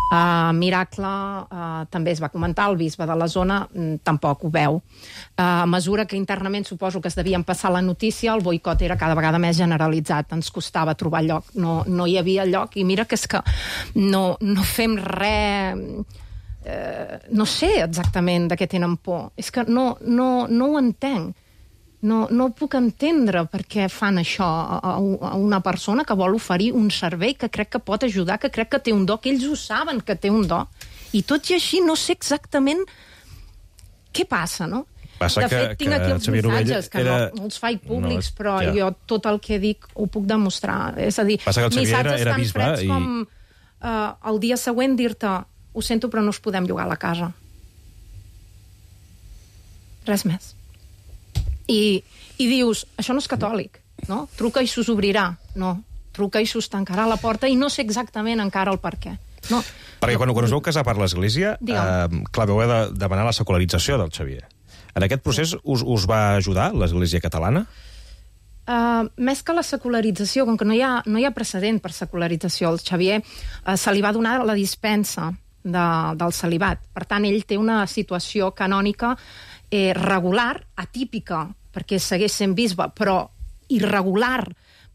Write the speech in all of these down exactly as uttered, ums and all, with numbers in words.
Uh, Miracle uh, també es va comentar, el bisbe de la zona mm, tampoc ho veu. Uh, a mesura que internament suposo que es devien passar la notícia, el boicot era cada vegada més generalitzat, ens costava trobar lloc, no, no hi havia lloc, i mira que és que no, no fem res... Uh, no sé exactament de què tenen por, és que no, no, no ho entenc. No, no puc entendre per què fan això a, a una persona que vol oferir un servei que crec que pot ajudar, que crec que té un do, que ells ho saben que té un do, i tot i així no sé exactament què passa, no? Passa de fet, que, tinc aquí els missatges, que era... no, no els faig públics, no, però ja. jo tot el que dic ho puc demostrar. És a dir, missatges era tan bisbe, freds i... com uh, el dia següent dir-te ho sento però no us podem llogar a la casa. Res més. I, i dius, això no és catòlic, no? Truca i s'us obrirà. No, truca i s'us tancarà la porta i no sé exactament encara el per què. No. Perquè quan, quan us veu casar per l'Església, eh, clar, vau haver de demanar la secularització del Xavier. En aquest procés us, us va ajudar l'Església catalana? Uh, més que la secularització, com que no hi ha, no hi ha precedent per secularització, al Xavier uh, se li va donar la dispensa de, del celibat. Per tant, ell té una situació canònica eh, regular, atípica, perquè segueix sent bisbe, però irregular,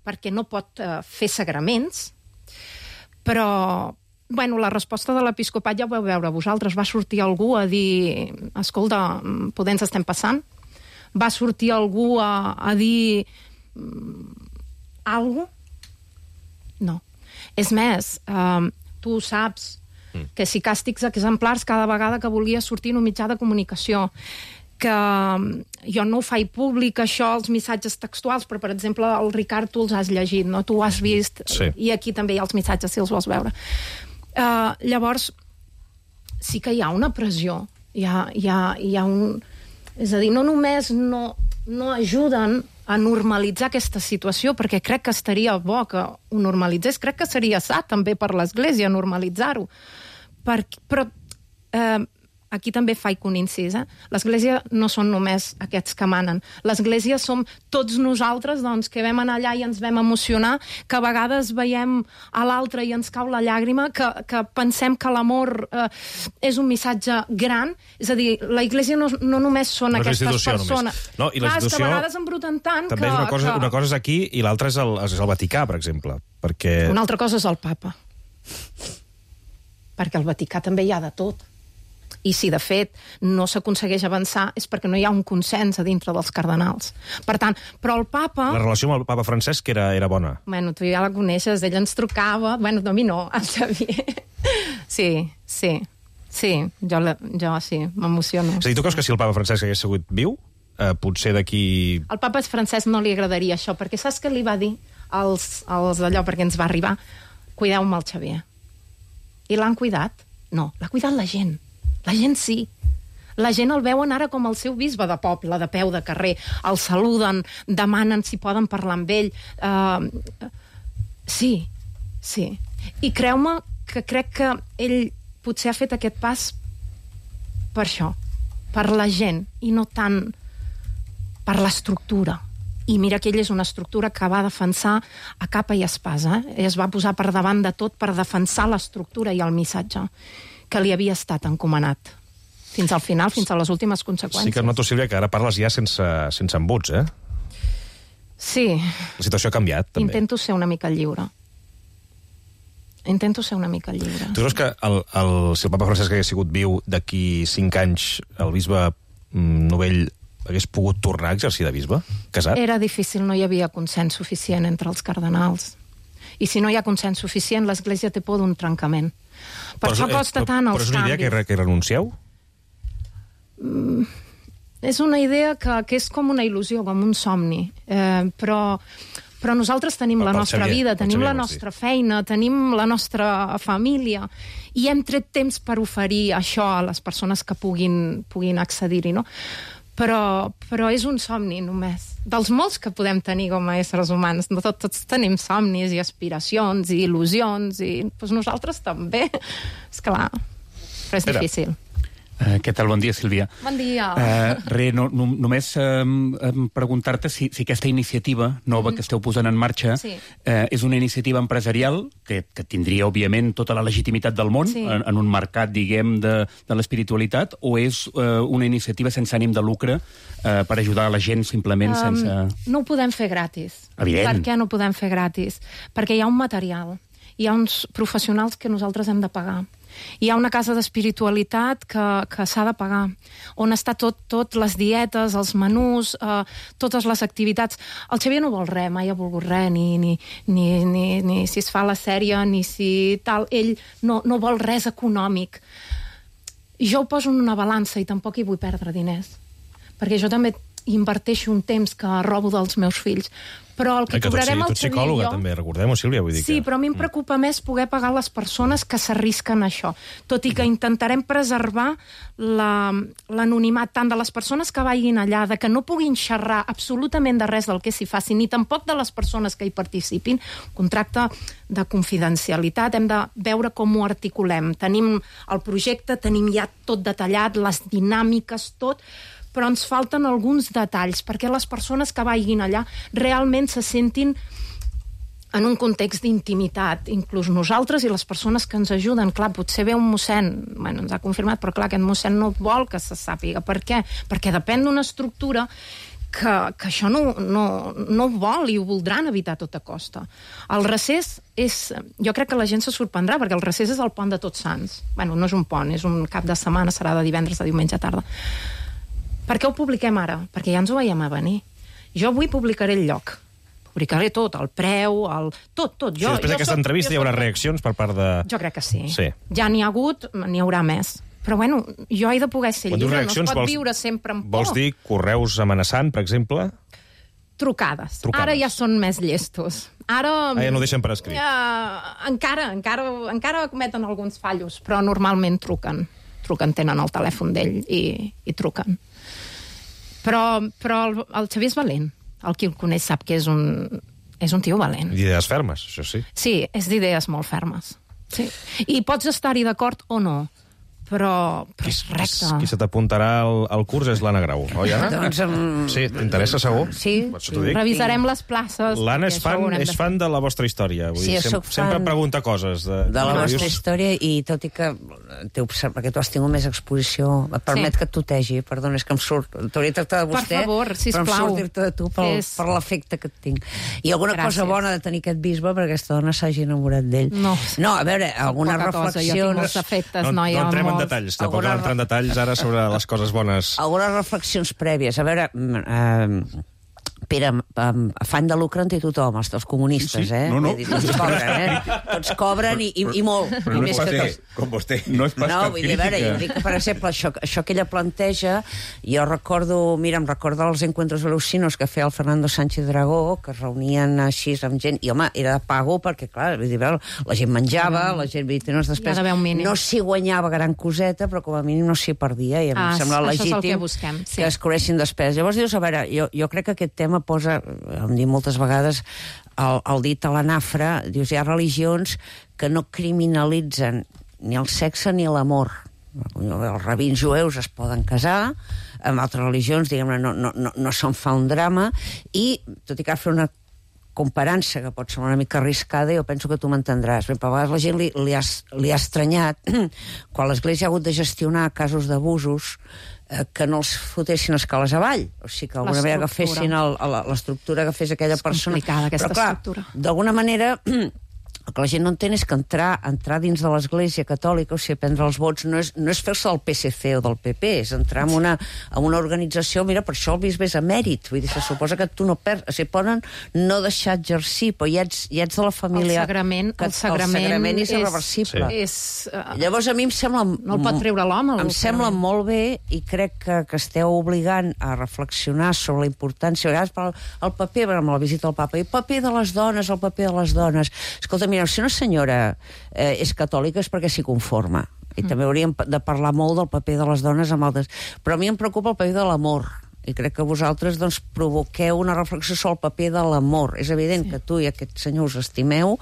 perquè no pot eh, fer sagraments. Però, bueno, la resposta de l'episcopat ja ho vau veure vosaltres. Va sortir algú a dir, escolta, poder ens estem passant? Va sortir algú a, a dir algo? No. És més, eh, tu saps que si càstigs exemplars cada vegada que volia sortir en un mitjà de comunicació, que jo no ho faig públic, això, els missatges textuals, però, per exemple, el Ricard, tu els has llegit, no? Tu ho has vist, sí. I aquí també hi ha els missatges, si els vols veure. Uh, llavors, sí que hi ha una pressió, hi ha, hi ha, hi ha un... És a dir, no només no, no ajuden a normalitzar aquesta situació, perquè crec que estaria bo que ho normalitzés, crec que seria sa també per l'Església normalitzar-ho. Per, però eh, aquí també faig un incís, eh? L'Església no són només aquests que manen. L'Església som tots nosaltres, doncs, que vam anar allà i ens vam emocionar, que a vegades veiem a l'altre i ens cau la llàgrima, que, que pensem que l'amor eh, és un missatge gran. És a dir, la Església no, no només són no aquestes persones. No, i clar, és que a vegades embruten tant també que... és una cosa, que... una cosa és aquí i l'altra és, el, és el Vaticà, per exemple. Perquè... Una altra cosa és el papa. Perquè al Vaticà també hi ha de tot. I si, de fet, no s'aconsegueix avançar és perquè no hi ha un consens a dintre dels cardenals. Per tant, però el papa... La relació amb el papa Francesc era, era bona. Bueno, tu ja la coneixes, ell ens trucava... Bueno, a mi no, el Xavier. Sí, sí, sí, jo, la, jo sí, m'emociono. És a dir, tu creus que si el papa Francesc hagués sigut viu, eh, potser d'aquí... Al papa Francesc no li agradaria això, perquè saps què li va dir als, als d'allò, perquè ens va arribar? Cuideu-me el Xavier. I l'han cuidat? No, l'ha cuidat la gent. La gent sí. La gent el veuen ara com el seu bisbe de poble, de peu de carrer. El saluden, demanen si poden parlar amb ell. Uh, sí, sí. I creu-me que crec que ell potser ha fet aquest pas per això, per la gent, i no tant per l'estructura. I mira que ell és una estructura que va defensar a capa i espasa. Eh? Es va posar per davant de tot per defensar l'estructura i el missatge que li havia estat encomanat. Fins al final, fins a les últimes conseqüències. Sí que noto, Sílvia, que ara parles ja sense, sense embuts, eh? Sí. La situació ha canviat, també. Intento ser una mica lliure. Intento ser una mica lliure. Tu creus que el, el, si el papa Francesc hagués sigut viu d'aquí cinc anys, el bisbe Novell hagués pogut tornar a exercir de bisbe? Casat? Era difícil, no hi havia consens suficient entre els cardenals. I si no hi ha consens suficient, l'Església té por d'un trencament. Per però, això costa tant els canvis. Però és una idea que, que renuncieu? Mm, és una idea que, que és com una il·lusió, com un somni. Eh, però, però nosaltres tenim la nostra Xavier, vida, tenim Xavier, la nostra feina, tenim la nostra família, i hem tret temps per oferir això a les persones que puguin, puguin accedir-hi, no? Però, però és un somni només, dels molts que podem tenir com a éssers humans. No tot, tots tenim somnis i aspiracions i il·lusions, i doncs nosaltres també. És clar, però és Espera. difícil. Uh, què tal? Bon dia, Sílvia. Bon dia. Uh, re, no, no, només uh, um, preguntar-te si, si aquesta iniciativa nova mm. que esteu posant en marxa sí. uh, és una iniciativa empresarial que, que tindria, òbviament, tota la legitimitat del món sí. en, en un mercat, diguem, de, de l'espiritualitat, o és uh, una iniciativa sense ànim de lucre uh, per ajudar la gent simplement um, sense... No ho podem fer gratis. Evident. Per què no ho podem fer gratis? Perquè hi ha un material, hi ha uns professionals que nosaltres hem de pagar. Hi ha una casa d'espiritualitat que, que s'ha de pagar, on està tot, tot les dietes, els menús, eh, totes les activitats. El Xavier no vol res, mai ha volgut res, ni, ni, ni, ni, ni si es fa la sèrie, ni si tal. Ell no, no vol res econòmic. Jo ho poso en una balança i tampoc hi vull perdre diners, perquè jo també inverteixo un temps que robo dels meus fills. Però el que, que cobrarem el Xavier i jo... Tu ets psicòloga, també, recordem-ho, Sílvia, vull dir sí, que... però a mi em preocupa mm. més poder pagar les persones que s'arrisquen a això, tot i que intentarem preservar l'anonimat tant de les persones que vagin allà, de que no puguin xerrar absolutament de res del que s'hi faci, ni tampoc de les persones que hi participin. Contracte de confidencialitat, hem de veure com ho articulem. Tenim el projecte, tenim ja tot detallat, les dinàmiques, tot... però ens falten alguns detalls perquè les persones que vagin allà realment se sentin en un context d'intimitat, inclús nosaltres i les persones que ens ajuden. Clar, potser ve un mossèn, bueno, ens ha confirmat, però clar, aquest mossèn no vol que se sàpiga. Per què? Perquè depèn d'una estructura que, que això no, no, no ho vol i ho voldran evitar a tota costa. El recés és... Jo crec que la gent se sorprendrà, perquè el recés és el pont de Tots Sants. Bueno, no és un pont, és un cap de setmana, serà de divendres a diumenge a tarda. Per què ho publiquem ara? Perquè ja ens ho veiem a venir. Jo avui publicaré el lloc. Publicaré tot, el preu, el... tot, tot. Jo, sí, després d'aquesta entrevista hi haurà reaccions per part de... Jo crec que sí. sí. Ja n'hi ha hagut, n'hi haurà més. Però bueno, jo he de poder ser lliure, no es pot vols, viure sempre amb por. Vols dir correus amenaçant, per exemple? Trucades. Trucades. Ara ja són més llestos. Ara... Ah, ja no deixen per escrit. Ja, encara, encara, encara cometen alguns fallos, però normalment truquen. Truquen, tenen el telèfon d'ell i, i truquen. Però, però el, el Xavier és valent. El qui el coneix sap que és un, és un tio valent. D'idees fermes, això sí. Sí, és d'idees molt fermes. Sí. I pots estar-hi d'acord o no, però, però és recte. Qui se t'apuntarà al, al curs és l'Anna Grau, oi, Anna? Doncs, um... Sí, t'interessa, segur? Sí. sí. Revisarem les places. L'Anna és, fan, és fan de la vostra història. Vull sí, dir, sem sempre pregunta coses. De, de la vostra història, i tot i que perquè tu has tingut més exposició, et permet sí. que et tutegi, perdona, és que em surt... T'hauria de tractar de vostè, per favor, sisplau. Però em surt dir-te de tu pel, és... per l'efecte que et tinc. I alguna Gràcies. cosa bona de tenir aquest bisbe perquè aquesta dona s'hagi enamorat d'ell. No. No, a veure, algunes reflexions... Cosa. Jo tinc molts efectes, no, noia. No entrem en detalls, tampoc cal entrar en detalls ara sobre les coses bones. Algunes reflexions prèvies. A veure, eh, Pere, afany de lucre en té tothom, els, els comunistes, sí, eh? No, no. Dir, tots cobren, eh? Tots cobren i, i, i molt. Però I no més és que pas, tots... com vostè. No és pas no, cap vull dir, a veure, jo dic que, per exemple, això, això que ella planteja, jo recordo, mira, em recordo els encuentros velusinos que feia el Fernando Sánchez Dragó, que es reunien així amb gent, i home, era de pago perquè, clar, vull dir, la gent menjava, la gent, vull dir, no, després, no s'hi guanyava gran coseta, però com a mínim no s'hi perdia, i em ah, sembla legítim que, busquem, sí. que es cobreixin despeses. Llavors dius, a veure, jo, jo crec que aquest tema posa, em dic moltes vegades, el, el dit a la nafra, dius, hi ha religions que no criminalitzen ni el sexe ni l'amor. Els rabins jueus es poden casar, amb altres religions, diguem-ne, no, no, no, no se'n fa un drama, i, tot i que fer una comparança que pot ser una mica arriscada, jo penso que tu m'entendràs. A vegades la gent li, li, ha, li ha estranyat quan l'Església ha hagut de gestionar casos d'abusos que no els fotessin escales avall, o sigui que d'alguna manera agafessin l'estructura que fes aquella és persona. És complicada aquesta però, clar, estructura. D'alguna manera el que la gent no entén és que entrar, entrar dins de l'Església Catòlica, o sigui, prendre els vots, no és, no és fer-se del P S C o del P P, és entrar en una, en una organització, mira, per això el bisbe és emèrit, vull dir, se suposa que tu no perds, o sigui, poden no deixar exercir, però ja ets, ja ets de la família... El sagrament, que, el sagrament, el sagrament és, és irreversible. Sí. És, uh, Llavors a mi em sembla... No el pot treure l'home. Em sembla molt bé, i crec que, que esteu obligant a reflexionar sobre la importància, a vegades per el paper, amb la visita al papa, i el paper de les dones, el paper de les dones. Escolta, mira, si una senyora eh, és catòlica és perquè s'hi conforma. I mm. també hauríem de parlar molt del paper de les dones amb altres. Però a mi em preocupa el paper de l'amor. i crec que vosaltres doncs, provoqueu una reflexió sobre el paper de l'amor. És evident sí. que tu i aquest senyor us estimeu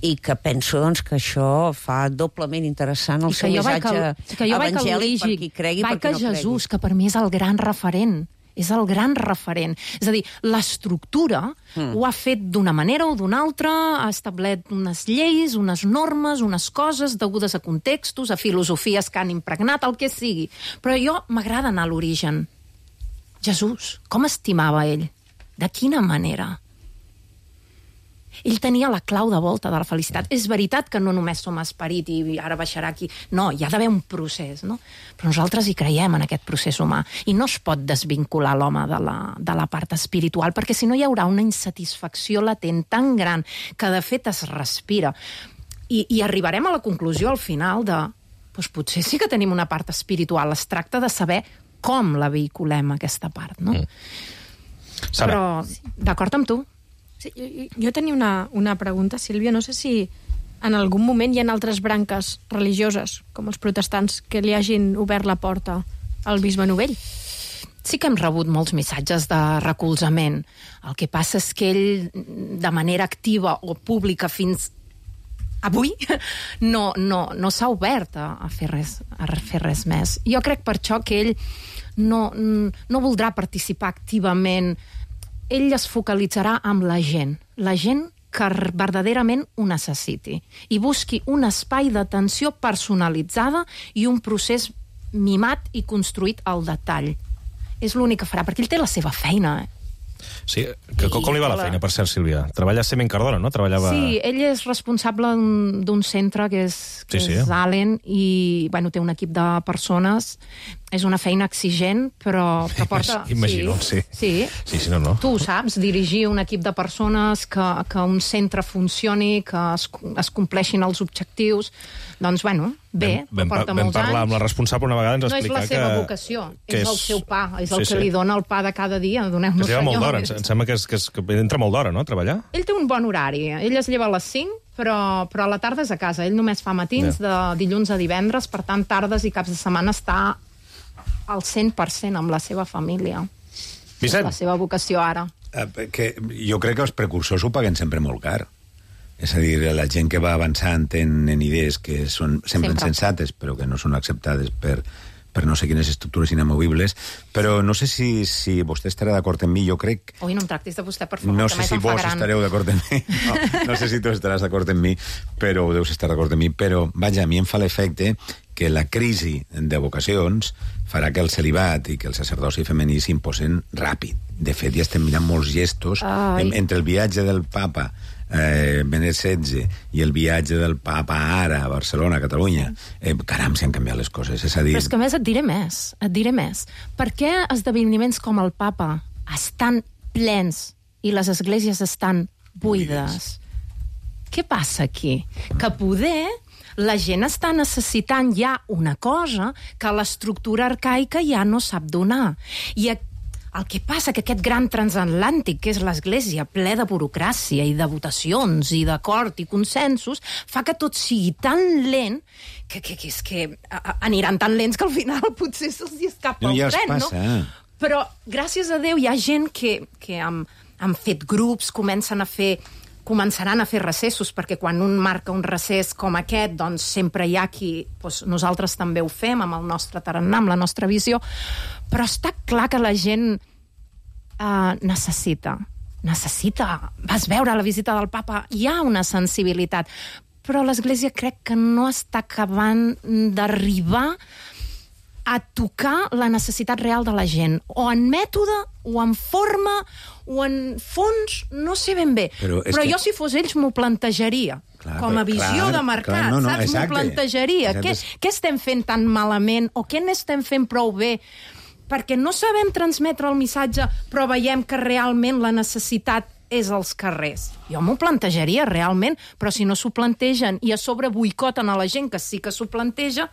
i que penso doncs, que això fa doblement interessant el seu missatge evangèlic per qui cregui i per qui no cregui. Jesús, que per mi és el gran referent. És el gran referent. És a dir, l'estructura mm. ho ha fet d'una manera o d'una altra, ha establert unes lleis, unes normes, unes coses degudes a contextos, a filosofies que han impregnat, el que sigui. Però jo m'agrada anar a l'origen. Jesús, com estimava ell? De quina manera? Ell tenia la clau de volta de la felicitat. És veritat que no només som esperit i ara baixarà aquí. No, hi ha d'haver un procés, no? Però nosaltres hi creiem en aquest procés humà. I no es pot desvincular l'home de la, de la part espiritual, perquè si no hi haurà una insatisfacció latent tan gran que de fet es respira. I, i arribarem a la conclusió al final de doncs potser sí que tenim una part espiritual. Es tracta de saber com la vehiculem, aquesta part, no? Mm. Però d'acord amb tu. Sí, jo, jo tenia una, una pregunta, Sílvia. No sé si en algun moment hi ha altres branques religioses, com els protestants, que li hagin obert la porta al bisbe Novell. Sí que hem rebut molts missatges de recolzament. El que passa és que ell, de manera activa o pública fins avui, no, no, no s'ha obert a, a, fer res, a fer res més. Jo crec per això que ell no, no voldrà participar activament. Ell es focalitzarà amb la gent, la gent que verdaderament ho necessiti, i busqui un espai d'atenció personalitzada i un procés mimat i construït al detall. És l'únic que farà, perquè ell té la seva feina, eh? Sí, que, com li va la feina, per cert, Sílvia? Treballa a Semen Cardona, no? Treballava... Sí, ell és responsable d'un centre que és, que sí, sí. és Allen, i bueno, té un equip de persones. És una feina exigent, però, però porta... Imagino, sí. Sí. Sí, sí, no, no. Tu ho saps, dirigir un equip de persones, que, que un centre funcioni, que es, es compleixin els objectius. Doncs, bueno, bé, vam, porta vam molts parlar anys. Amb la responsable una vegada, ens no explicar és la seva que, vocació, que és el seu pa, és el sí, que sí. li dona el pa de cada dia. Doneu-nos, que lleva molt senyor. d'hora, em sembla que, és, que, és, que entra molt d'hora, no?, a treballar. Ell té un bon horari, ell es lleva a les cinc, però, però a la tarda és a casa. Ell només fa matins, de dilluns a divendres, per tant, tardes i caps de setmana està al cent per cent amb la seva família. Vicent. La seva vocació ara. Eh, que jo crec que els precursors ho paguen sempre molt car. És a dir, la gent que va avançant en, en idees que són sempre, sempre sensates, però que no són acceptades per, per no sé quines estructures inamovibles, però no sé si, si vostè estarà d'acord amb mi, jo crec... Ui, no em tractis de vostè, per favor, no que sé més si em fa vos gran. estareu d'acord amb mi, no, no sé si tu estaràs d'acord amb mi, però deus estar d'acord amb mi, però, vaja, a mi em fa l'efecte que la crisi de vocacions farà que el celibat i que el sacerdoci femení s'imposen ràpid. De fet, ja estem mirant molts gestos en, entre el viatge del papa eh, Benet setze i el viatge del papa ara a Barcelona, a Catalunya. Eh, caram, s'han canviat les coses. És a dir... Però és que a més et diré més, et diré més. Per què esdeveniments com el papa estan plens i les esglésies estan buides? Què passa aquí? Que poder... la gent està necessitant ja una cosa que l'estructura arcaica ja no sap donar. I el que passa que aquest gran transatlàntic, que és l'Església, ple de burocràcia i de votacions i d'acord i consensos, fa que tot sigui tan lent que, que, que és que aniran tan lents que al final potser se'ls escapa no, el ja tren, passa. no? Però, gràcies a Déu, hi ha gent que, que han, han fet grups, comencen a fer... començaran a fer recessos, perquè quan un marca un recés com aquest, doncs sempre hi ha qui... Doncs nosaltres també ho fem amb el nostre tarannà, amb la nostra visió, però està clar que la gent eh, necessita, necessita... Vas veure la visita del papa, hi ha una sensibilitat, però l'Església crec que no està acabant d'arribar a tocar la necessitat real de la gent, o en mètode, o en forma, o en fons, no sé ben bé. Però, però que... jo, si fos ells, m'ho plantejaria. Clar, com a visió clar, de mercat, clar, no, no, saps? M'ho plantejaria. Què, què estem fent tan malament, o què n'estem fent prou bé? Perquè no sabem transmetre el missatge, però veiem que realment la necessitat és als carrers. Jo m'ho plantejaria, realment, però si no s'ho plantegen i a sobre boicoten a la gent que sí que s'ho planteja,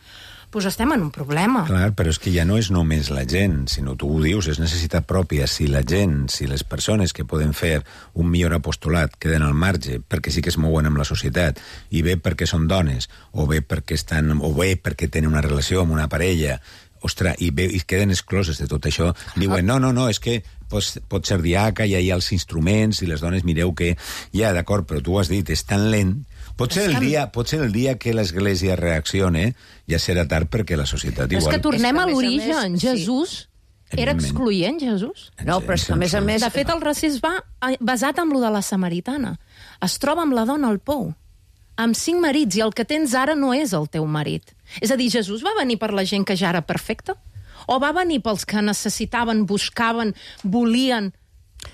doncs estem en un problema. Clar, però és que ja no és només la gent, sinó tu ho dius, és necessitat pròpia. Si la gent, si les persones que poden fer un millor apostolat queden al marge, perquè sí que es mouen amb la societat, i bé perquè són dones, o bé perquè estan, o bé perquè tenen una relació amb una parella, ostres, i, ve, i queden excloses de tot això. Diuen, no, no, no, és que pot, pot ser diaca, i hi ha els instruments, i les dones mireu que... Ja, d'acord, però tu ho has dit, és tan lent. Potser el dia, potser el dia que l'Església reaccione ja serà tard perquè la societat igual... És que tornem és que, a l'origen. més, Jesús sí. era excloent, Jesús. No, però és que a més a més... De fet, el racisme va basat en lo de la samaritana. Es troba amb la dona al pou, amb cinc marits, i el que tens ara no és el teu marit. És a dir, Jesús va venir per la gent que ja era perfecta? O va venir pels que necessitaven, buscaven, volien...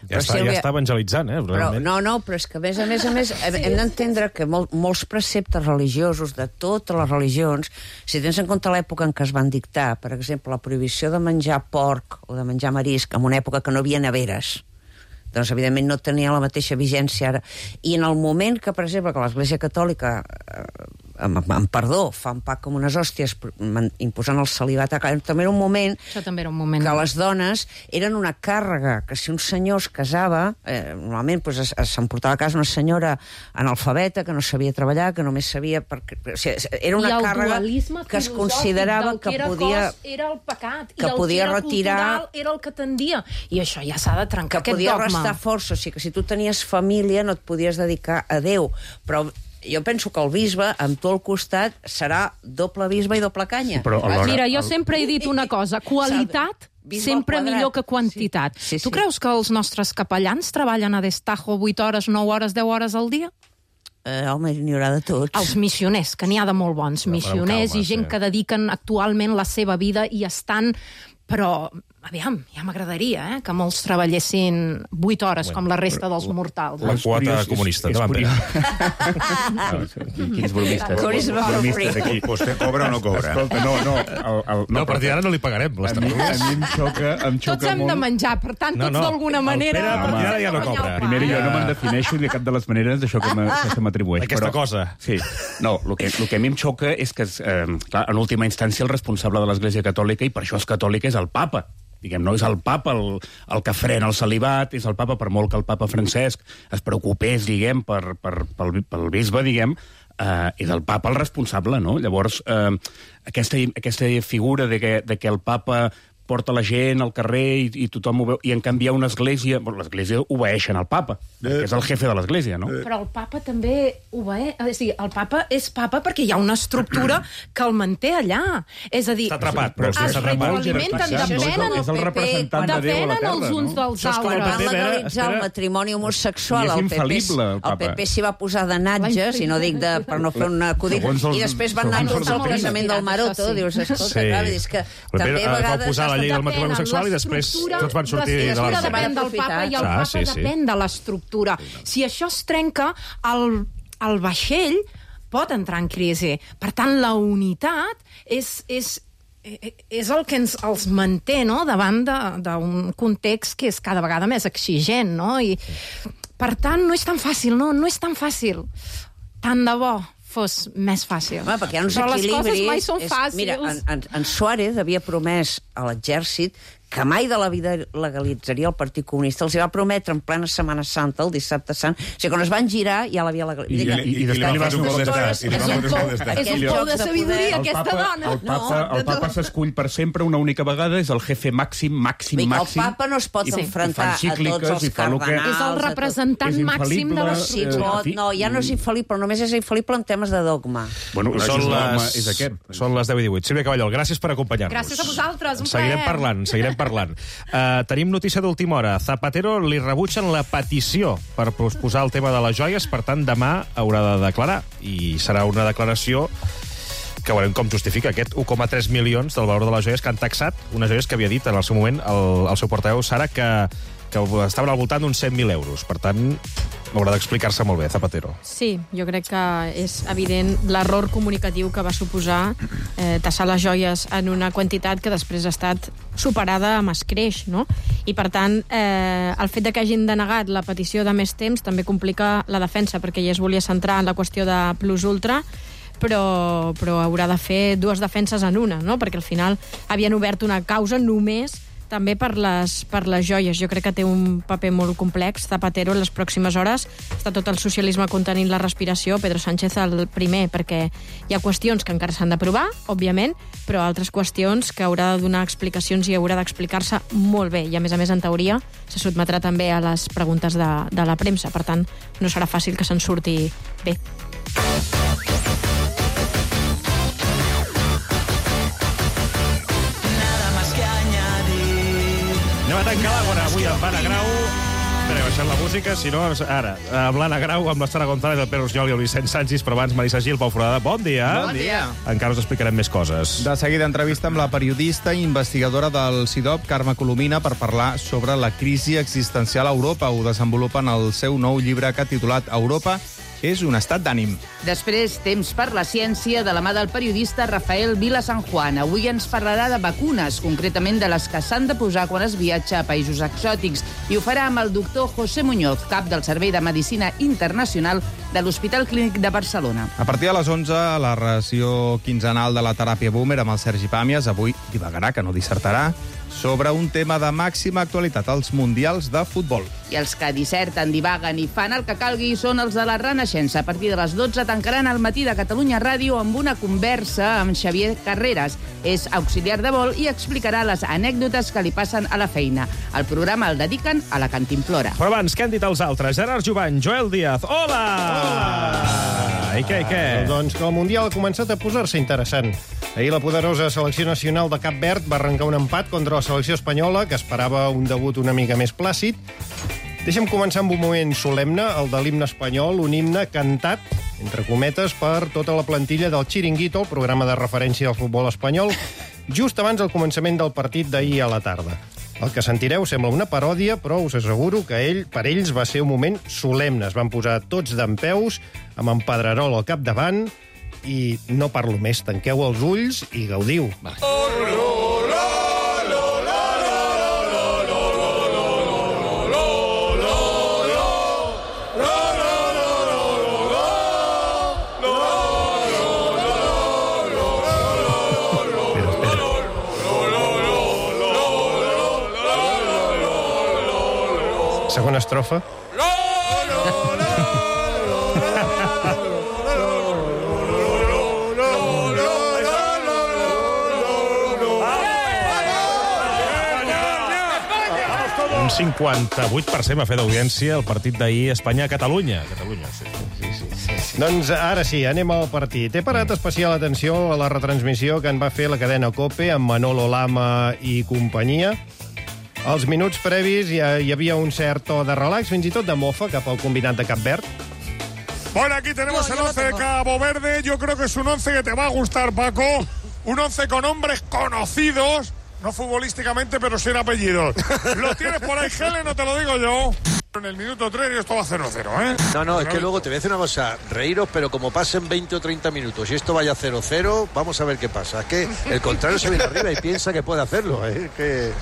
Ja, està, ja està evangelitzant, eh? Però, no, no, però és que a més a més, a més hem, hem d'entendre que mol, molts preceptes religiosos de totes les religions, si tens en compte l'època en què es van dictar, per exemple, la prohibició de menjar porc o de menjar marisc en una època que no hi havia neveres, doncs evidentment no tenia la mateixa vigència ara. I en el moment que, per exemple, que l'Església Catòlica, eh, amb, amb perdó, fa un pack com unes hòsties imposant el celibat, també era un moment, Això també era un moment que les dones eren una càrrega, que si un senyor es casava, eh, normalment pues, s'emportava a casa una senyora analfabeta, que no sabia treballar, que només sabia... Perquè, o sigui, era una càrrega que es considerava que, que podia... Cos era el pecat, que i el podia que era retirar, cultural era el que tendia. I això ja s'ha de trencar, que aquest podia dogma. restar força, o sigui que si tu tenies família no et podies dedicar a Déu, però jo penso que el bisbe, amb tot el costat, serà doble bisbe i doble canya. Però alhora, Mira, jo el... sempre he dit una cosa, qualitat sempre millor que quantitat. Sí, sí, sí. Tu creus que els nostres capellans treballen a destajo vuit hores, nou hores, deu hores al dia? Eh, home, n'hi haurà de tots. Els missioners, que n'hi ha de molt bons. No, missioners calma, i gent sí. que dediquen actualment la seva vida i estan... Però, aviam, ja m'agradaria eh, que molts treballessin vuit hores, bueno, com la resta dels mortals. La quota comunista, endavant, Pere. Quins bromistes. Corisme Bromistes aquí. Vostè cobra o no cobra? Escolta, no, no. El, el, No, a partir d'ara no li pagarem les a mi, a tertúlies. mi em xoca, em xoca Tots hem molt... de menjar, per tant, No, tots no. d'alguna El manera... Pere, a partir d'ara ja no cobra. Primera, jo no me'n defineixo de cap de les maneres d'això que me- que se m'atribueix. Aquesta però- cosa. Sí. No, el que, el que a mi em xoca és que, eh, clar, en última instància, el responsable de l'Església Catòlica, i per això és catòlica, és el papa. Diguem, no és el papa el, el que frena el celibat, és el papa, per molt que el papa Francesc es preocupés, diguem, per, per, pel, pel bisbe, diguem, eh, és el papa el responsable, no? Llavors, eh, aquesta, aquesta figura de que, de que el papa porta la gent al carrer i, i tothom ho veu, i en canvi hi ha una església... Bueno, l'església obeeixen al papa, eh. perquè és el jefe de l'església, no? Eh. Però el papa també obeeix... És a dir, el papa és papa perquè hi ha una estructura que el manté allà. És a dir, Està atrapat, però es està atrapat. retroalimenten, No, és el- depenen, és el representant de Déu a la depenen terra, els uns no? dels Això és com el altres. P P, Van Vera, legalitzar el espera. matrimoni homosexual. I és el P P, infal·lible, el el papa. P P s'hi va posar de natges, i no dic de, per no fer un acudit, Segons els- i després van anar segons tots els al casament del Maroto. Això sí. Dius, escolta, Sí. clar, és que Però també Pere, a eh, vegades... va posar la llei del matrimoni Depenen, homosexual i després l'estructura- tots van sortir de l'estructura la depèn del papa i el Ah, papa sí, sí. depèn de l'estructura. Si això es trenca, el, el vaixell pot entrar en crisi. Per tant, la unitat és... és és el que ens els manté, no?, davant d'un context que és cada vegada més exigent, no? I, per tant, no és tan fàcil, no? No és tan fàcil. Tant de bo fos més fàcil. Home, perquè hi ha uns Però les equilibris... coses mai són és- fàcils. Mira, en, en, en Suárez havia promès a l'exèrcit que mai de la vida legalitzaria el Partit Comunista. Els hi va prometre en plena Setmana Santa, el dissabte sant. O sigui, quan es van girar, ja l'havia legalitzat. I- i- i després li va fer un cop d'estat. I li va fer un cop d'estat. És un pou de sabidoria, El aquesta papa, dona. el papa, No, el papa s'escull per sempre una única vegada, és el jefe màxim, màxim, Vull dir que màxim. el papa no es pot i- i fa enfrontar a encícliques, tots els i fa el que- cardenals. És el a tot. representant És màxim de infal·lible, Sí, eh, l'estructura. pot, no, ja no és infal·lible, però només és infal·lible en temes de dogma. Bueno, Són és, les, és aquest. són les deu i divuit. Sílvia Caballol, gràcies per acompanyar-nos. Gràcies a vosaltres, un Seguirem plaer. parlant, seguirem parlant. Uh, tenim notícia d'última hora. Zapatero li rebutgen la petició per posposar el tema de les joies, per tant, demà haurà de declarar. I serà una declaració que veurem com justifica aquest u coma tres milions del valor de les joies que han taxat, unes joies que havia dit en el seu moment el, el seu portaveu Sara que, que estaven al voltant d'uns cent mil euros. Per tant, haurà d'explicar-se molt bé, Zapatero. Sí, jo crec que és evident l'error comunicatiu que va suposar eh, tassar les joies en una quantitat que després ha estat superada amb escreix, no? I, per tant, eh, el fet de que hagin denegat la petició de més temps també complica la defensa, perquè ja es volia centrar en la qüestió de plus ultra, però, però haurà de fer dues defenses en una, no? Perquè al final havien obert una causa només també per les, per les joies. Jo crec que té un paper molt complex. Zapatero, en les pròximes hores, està tot el socialisme contenint la respiració, Pedro Sánchez el primer, perquè hi ha qüestions que encara s'han d'aprovar, òbviament, però altres qüestions que haurà de donar explicacions i haurà d'explicar-se molt bé. I, a més a més, en teoria, se sotmetrà també a les preguntes de, de la premsa. Per tant, no serà fàcil que se'n surti bé. Anem a tancar l'Àgora avui amb Anna Grau. Espera, baixant la música, si no, ara, amb l'Anna Grau, amb l'Estara González, el Pere Usnyol i el Vicent Sanchis, però abans Marisa Gil, Pau Foradada. Bon dia. Bon dia. Encara us explicarem més coses. De seguida, entrevista amb la periodista i investigadora del C I D O P, Carme Colomina, per parlar sobre la crisi existencial a Europa. Ho desenvolupa en el seu nou llibre que ha titulat Europa és un estat d'ànim. Després, temps per la ciència de la mà del periodista Rafael Vila San Juan. Avui ens parlarà de vacunes, concretament de les que s'han de posar quan es viatja a països exòtics. I ho farà amb el doctor José Muñoz, cap del Servei de Medicina Internacional de l'Hospital Clínic de Barcelona. A partir de les onze, la ració quinzenal de la teràpia Boomer amb el Sergi Pàmies. Avui divagarà, que no dissertarà, sobre un tema de màxima actualitat, els Mundials de Futbol. I els que disserten, divaguen i fan el que calgui són els de la Renaixença. A partir de les dotze tancaran el matí de Catalunya Ràdio amb una conversa amb Xavier Carreras. És auxiliar de vol i explicarà les anècdotes que li passen a la feina. El programa el dediquen a la cantimplora. Però abans, què han dit els altres? Gerard Jovany, Joel Díaz, hola! Hola! I què, i què? Doncs que el Mundial ha començat a posar-se interessant. Ahir la poderosa selecció nacional de Cap Verd va arrencar un empat contra la selecció espanyola, que esperava un debut una mica més plàcid. Deixa'm començar amb un moment solemne, el de l'himne espanyol, un himne cantat, entre cometes, per tota la plantilla del Chiringuito, el programa de referència del futbol espanyol, just abans del començament del partit d'ahir a la tarda. El que sentireu sembla una paròdia, però us asseguro que ell, per ells va ser un moment solemne. Es van posar tots dempeus, amb en Pedrerol al capdavant, i no parlo més, tanqueu els ulls i gaudiu. Va. Segona estrofa. Un cinquanta-vuit per cent va fer d'audiència el partit d'ahir Espanya-Catalunya. Catalunya, sí, sí, sí, sí, sí. Doncs ara sí, anem al partit. He parat especial atenció a la retransmissió que en va fer la cadena COPE amb Manolo Lama i companyia. Als minuts previs hi, hi havia un cert to de relax, fins i tot de mofa, cap al combinat de Cap Verd. Bueno, aquí tenemos no, el once de Cabo Verde. Yo creo que es un once que te va a gustar, Paco. Un once con hombres conocidos, no futbolísticamente, pero sin apellidos. ¿Lo tienes por ahí, Gele? No te lo digo yo. En el minuto tres y esto va cero cero, ¿eh? No, no, es que luego te voy a decir una cosa. Reíros, pero como pasen veinte o treinta minutos y esto vaya cero cero, vamos a ver qué pasa. Es que el contrario se viene arriba y piensa que puede hacerlo, ¿eh? Es que...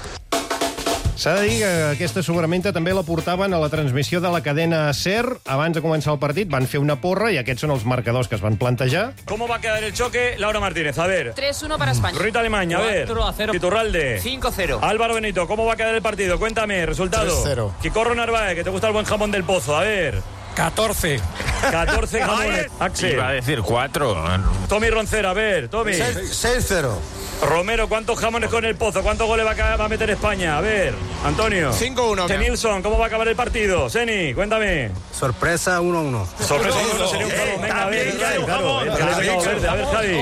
S'ha de dir que aquesta sobrevinta també la portaven a la transmissió de la cadena SER. Abans de començar el partit van fer una porra i aquests són els marcadors que es van plantejar. ¿Cómo va a quedar el choque? Laura Martínez, a ver. tres uno para España. Rita Alemany, a ver. cuatro a cero. Iturralde. cinco cero. Álvaro Benito, ¿cómo va a quedar el partido? Cuéntame, resultado. tres cero. Quicorro Narváez, que te gusta el buen jamón del pozo, a ver. catorce. catorce jamones. Axel. Iba a decir cuatro. Tommy Roncera, a ver, Tommy. seis cero. Romero, ¿cuántos jamones con el pozo? ¿Cuántos goles va a, va a meter España? A ver, Antonio. cinco uno. Nilsson, ¿cómo va a acabar el partido? Seni, cuéntame. Sorpresa uno uno. Sorpresa uno uno sería un jamón. Venga, a ver, Javi, claro. El que le pegado verde. A ver, Javi.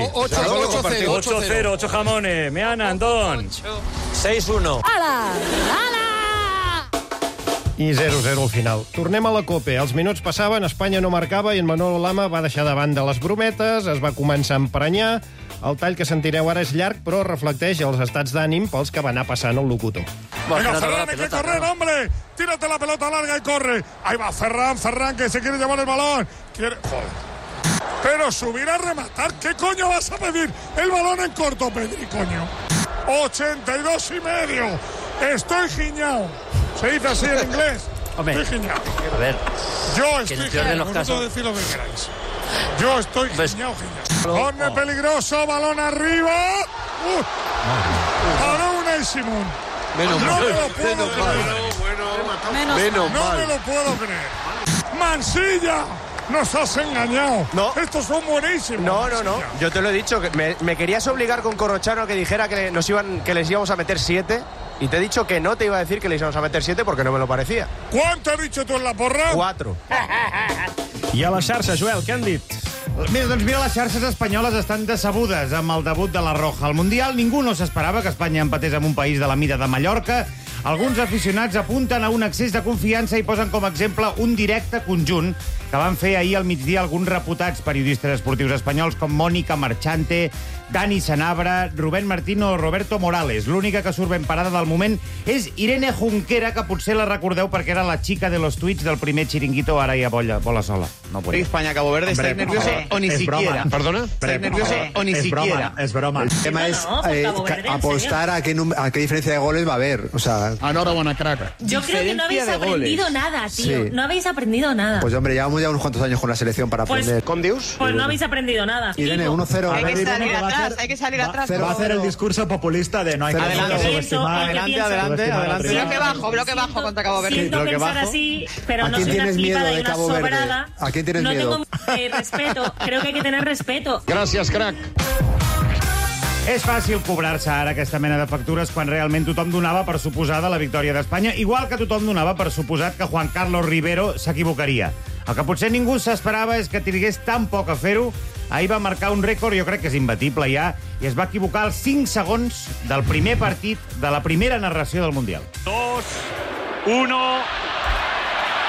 ocho cero, ocho jamones. Meana, Antón. seis uno. ¡Hala! ¡Hala! I zero zero al final. Tornem a la COPE. Els minuts passaven, Espanya no marcava i en Manolo Lama va deixar de banda les brometes, es va començar a emprenyar. El tall que sentireu ara és llarg, però reflecteix els estats d'ànim pels que va anar passant el locutor. Venga, Ferran, hay que correr, hombre. Tírate la pelota larga y corre. Ahí va Ferran, Ferran, que se quiere llevar el balón. Quiere... Joder. Pero subir a rematar, ¿qué coño vas a pedir? El balón en corto, Pedri, coño. ochenta y dos y medio. Estoy giñao. ¿Se dice así en inglés? Hombre, estoy giñao. A ver. Yo estoy giñao. Vosotros decid lo que queráis. Yo estoy pues, giñao, giñao. Corne oh. peligroso, balón arriba. Uh. Para Unai Simón. Menos no mal. me lo puedo Menos creer. mal. Menos, Menos no mal. me lo puedo creer. Mansilla, nos has engañado. No. Estos son buenísimos. No, no, no. Mansilla. Yo te lo he dicho. Que me, me querías obligar con Corrochano a que dijera que, nos iban, que les íbamos a meter siete. Y te he dicho que no te iba a decir que les íbamos a meter siete porque no me lo parecía. ¿Cuánto has dicho tú en la porra? Cuatro. I a la xarxa, Joel, què han dit? Mira, doncs mira, les xarxes espanyoles estan decebudes amb el debut de la Roja al Mundial. Ningú no s'esperava que Espanya empatés amb un país de la mida de Mallorca. Alguns aficionats apunten a un excés de confiança i posen com a exemple un directe conjunt que van fer ahir al migdia alguns reputats periodistes esportius espanyols com Mònica Marchante, Dani Sanabra, Rubén Martín o Roberto Morales. L'única que surt ben parada del moment és Irene Junquera, que potser la recordeu perquè era la xica de los tuits del primer chiringuito, ara ja bola, bola sola. No puede. España-Cabo Verde, ¿estáis nerviosos o ni siquiera? ¿Perdona? ¿Estáis nerviosos o ni siquiera? Es broma. El tema es eh, apostar a qué, num- a qué diferencia de goles va a haber. O sea, Enhorabuena, crack. Yo creo que no habéis aprendido nada, tío. Sí. No habéis aprendido nada. pues hombre, llevamos ya unos cuantos años con la selección para Pues- aprender. ¿Con Dios? Pues no habéis aprendido nada. Irene, uno cero. Hay que salir atrás, hay que salir atrás. Va a hacer el discurso populista de no hay que Adelante, subestimar. adelante, adelante, adelante. Bloque bajo, bloque bajo contra Cabo Verde. Siento bloque pensar bajo. así, pero ¿A no quién soy una tienes miedo flipada y de una Cabo Verde? sobrada. ¿A quién tienes no miedo? tengo eh, respeto. Creo que hay que tener respeto. Gràcies, crac. És fàcil cobrar-se ara aquesta mena de factures quan realment tothom donava per suposada la victòria d'Espanya, igual que tothom donava per suposat que Juan Carlos Rivero s'equivocaria. El que potser ningú s'esperava és que trigués tan poc a fer-ho. Ahir va marcar un rècord, jo crec que és imbatible ja, i es va equivocar als cinc segons del primer partit de la primera narració del Mundial. Dos, uno.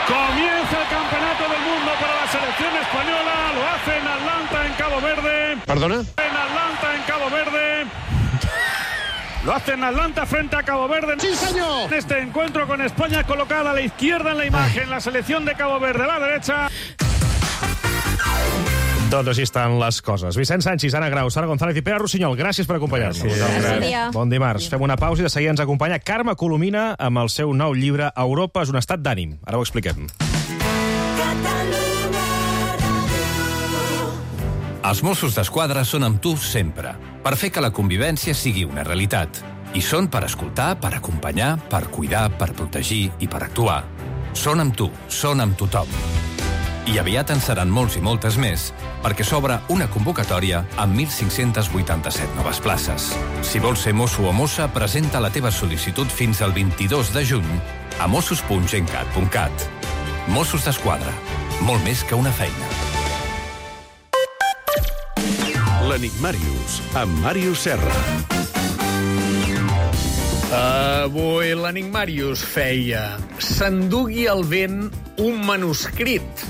Comienza el campeonato del mundo para la selección española. Lo hace en Atlanta, en Cabo Verde. ¿Perdona? En Atlanta, en Cabo Verde. Lo hace en Atlanta frente a Cabo Verde. ¡Sí, señor! En este encuentro con España colocada a la izquierda en la imagen, la selección de Cabo Verde a la derecha. Doncs així estan les coses. Vicent Sanchis, Anna Grau, Sara González i Pere Rossinyol, gràcies per acompanyar-nos. Gràcies. Bon dia. Bon dimarts. Fem una pausa i de seguida ens acompanya Carme Colomina amb el seu nou llibre Europa és un estat d'ànim. Ara ho expliquem. Els Mossos d'Esquadra són amb tu sempre, per fer que la convivència sigui una realitat. I són per escoltar, per acompanyar, per cuidar, per protegir i per actuar. Són amb tu, són amb tothom. I aviat en seran molts i moltes més, perquè s'obre una convocatòria amb mil cinc-cents vuitanta-set noves places. Si vols ser mosso o mossa, presenta la teva sol·licitud fins al vint-i-dos de juny a mossos punt gencat punt cat. Mossos d'Esquadra. Molt més que una feina. L'Enigmàrius, amb Màrius Serra. Avui l'Enigmàrius feia s'endugui el vent un manuscrit.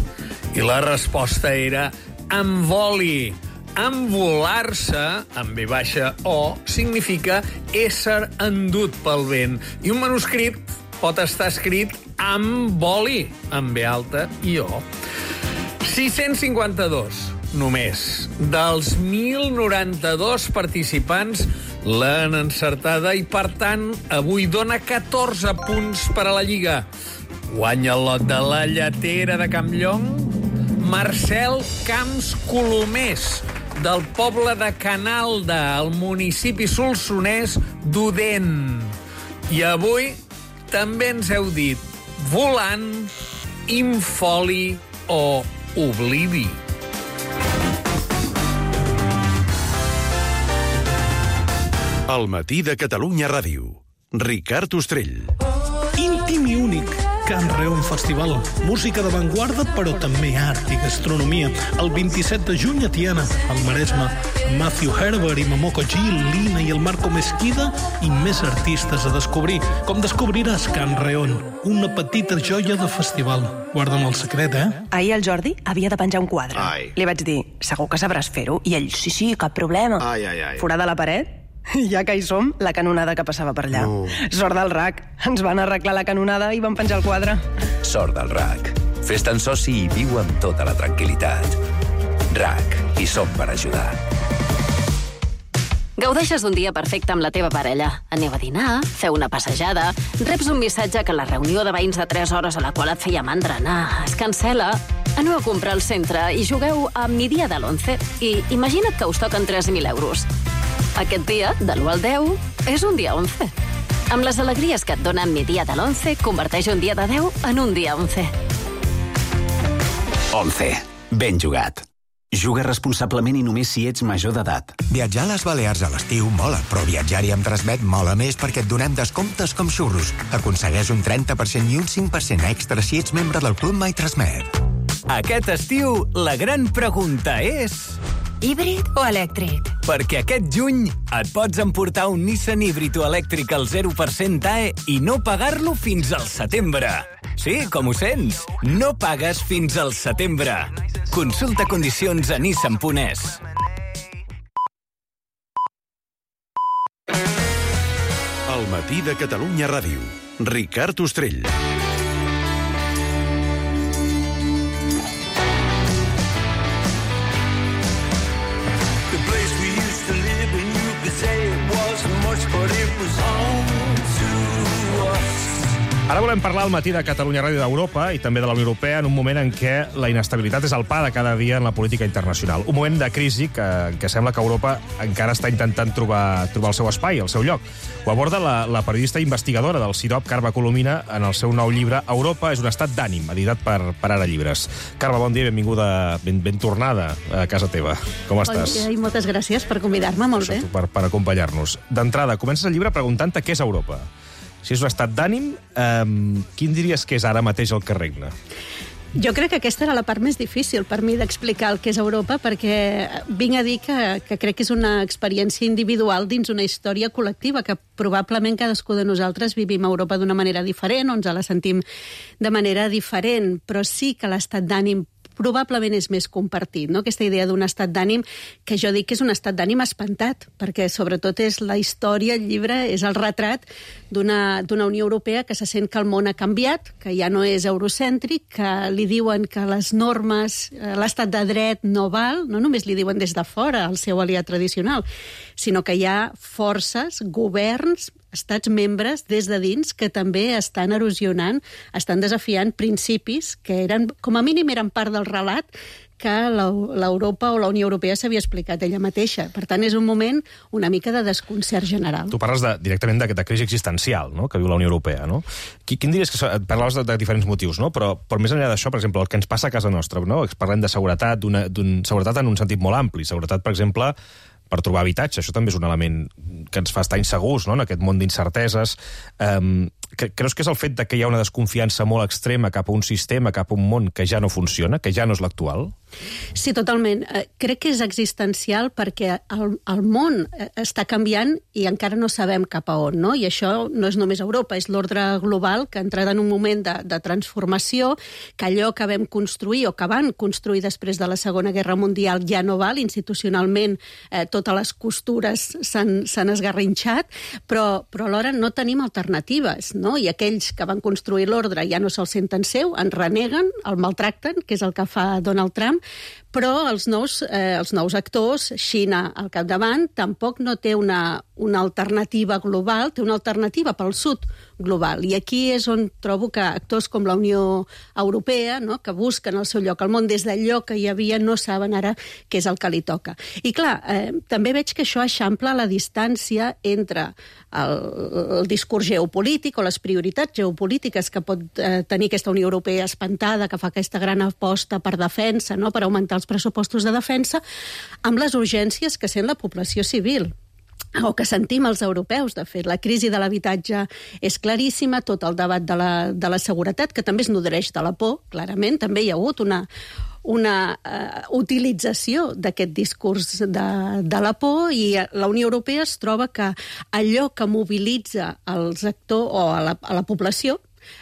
I la resposta era envoli. Envolar-se, amb ve baixa o, significa ésser endut pel vent. I un manuscrit pot estar escrit amb boli, amb ve alta i o. sis-cents cinquanta-dos, només. Dels mil noranta-dos participants l'han encertada i, per tant, avui dona catorze punts per a la Lliga. Guanya el lot de la lletera de Campllong Marcel Camps Colomés, del poble de Canalda, al municipi solsonès d'Odèn. I avui també ens heu dit volant, infoli o oblidi. El matí de Catalunya Ràdio. Ricard Ostrell. Íntim i únic. Can Reon Festival. Música d'avantguarda, però també art i gastronomia. El vint-i-set de juny a Tiana, al Maresme. Matthew Herbert i Momoko G, Lina i el Marco Mesquida i més artistes a descobrir. Com descobriràs Can Reon, una petita joia de festival. Guarda'm el secret, eh? Ahir el Jordi havia de penjar un quadre. Ai. Li vaig dir, segur que sabràs fer-ho? I ell, sí, sí, cap problema. Ai, ai, ai. Forada la paret? I ja que hi som, la canonada que passava per allà. No. Sort del R A C. Ens van arreglar la canonada i van penjar el quadre. Sort del R A C. Fes-te'n soci i viu amb tota la tranquil·litat. R A C. Hi som per ajudar. Gaudeixes d'un dia perfecte amb la teva parella. Aneu a dinar, feu una passejada, reps un missatge que la reunió de veïns de tres hores a la qual et feia mandra anar es cancel·la, aneu a comprar al centre i jugueu a mi dia de l'onze i imagina't que us toquen tres mil euros. Aquest dia, de l'u al deu, és un dia onze. Amb les alegries que et dona Mi Dia de l'once, converteix un dia de deu en un dia onze. onze. Ben jugat. Juga responsablement i només si ets major d'edat. Viatjar a les Balears a l'estiu mola, però viatjar-hi amb Transmet mola més perquè et donem descomptes com xurros. Aconsegueix un trenta per cent i un cinc per cent extra si ets membre del Club My Transmet. Aquest estiu, la gran pregunta és... híbrid o elèctric? Perquè aquest juny et pots emportar un Nissan híbrid o elèctric al zero per cent A E i no pagar-lo fins al setembre. Sí, com ho sents? No pagues fins al setembre. Consulta condicions a nissan punt es. El matí de Catalunya Ràdio. Ricard Ostrell. Ara volem parlar al matí de Catalunya Ràdio d'Europa i també de la Unió Europea en un moment en què la inestabilitat és el pa de cada dia en la política internacional. Un moment de crisi que, que sembla que Europa encara està intentant trobar, trobar el seu espai, el seu lloc. Ho aborda la, la periodista investigadora del CIROP, Carme Colomina, en el seu nou llibre Europa és un estat d'ànim, editat per, per Ara Llibres. Carme, bon dia, benvinguda, ben, ben tornada a casa teva. Com estàs? Bon dia i moltes gràcies per convidar-me, molt bé. Per, per acompanyar-nos. D'entrada, comences el llibre preguntant-te què és Europa. Si és un estat d'ànim, eh, quin diries que és ara mateix el que regna? Jo crec que aquesta era la part més difícil per mi d'explicar el que és Europa, perquè vinc a dir que, que crec que és una experiència individual dins una història col·lectiva, que probablement cadascú de nosaltres vivim a Europa d'una manera diferent, o ens la sentim de manera diferent, però sí que l'estat d'ànim probablement és més compartit, no? Aquesta idea d'un estat d'ànim que jo dic que és un estat d'ànim espantat, perquè sobretot és la història, el llibre, és el retrat d'una d'una Unió Europea que se sent que el món ha canviat, que ja no és eurocèntric, que li diuen que les normes, l'estat de dret no val, no només li diuen des de fora, el seu aliat tradicional, sinó que hi ha forces, governs, estats membres des de dins que també estan erosionant, estan desafiant principis que eren, com a mínim eren part del relat que l'Europa o la Unió Europea s'havia explicat ella mateixa. Per tant, és un moment una mica de desconcert general. Tu parles de, directament de, de crisi existencial, no?, que viu la Unió Europea, no? Quin diries que... Parlaves de, de diferents motius, no? Però, però més enllà d'això, per exemple, el que ens passa a casa nostra, no? Parlem de seguretat, d'una, d'un, seguretat en un sentit molt ampli. Seguretat, per exemple, per trobar habitatge. Això també és un element que ens fa estar insegurs, no?, en aquest món d'incerteses. Um, creus que és el fet de que hi ha una desconfiança molt extrema cap a un sistema, cap a un món que ja no funciona, que ja no és l'actual? Sí, totalment. Crec que és existencial perquè el, el món està canviant i encara no sabem cap a on, no? I això no és només Europa, és l'ordre global que ha entrat en un moment de, de transformació, que allò que vam construir o que van construir després de la Segona Guerra Mundial ja no val, institucionalment eh, totes les costures s'han esgarrinxat, però, però alhora no tenim alternatives, no? I aquells que van construir l'ordre ja no se'l senten seu, en reneguen, el maltracten, que és el que fa Donald Trump, però els nous, eh, els nous actors, Xina al capdavant, tampoc no té una, una alternativa global, té una alternativa pel sud global. I aquí és on trobo que actors com la Unió Europea, no?, que busquen el seu lloc al món des d'allò que hi havia, no saben ara què és el que li toca. I clar, eh, també veig que això eixampla la distància entre el, el discurs geopolític o les prioritats geopolítiques que pot eh, tenir aquesta Unió Europea espantada, que fa aquesta gran aposta per defensa, no?, per augmentar els pressupostos de defensa, amb les urgències que sent la població civil o que sentim els europeus. De fet, la crisi de l'habitatge és claríssima, tot el debat de la, de la seguretat, que també es nodreix de la por, clarament. També hi ha hagut una, una uh, utilització d'aquest discurs de, de la por, i la Unió Europea es troba que allò que mobilitza els actors o a la, a la població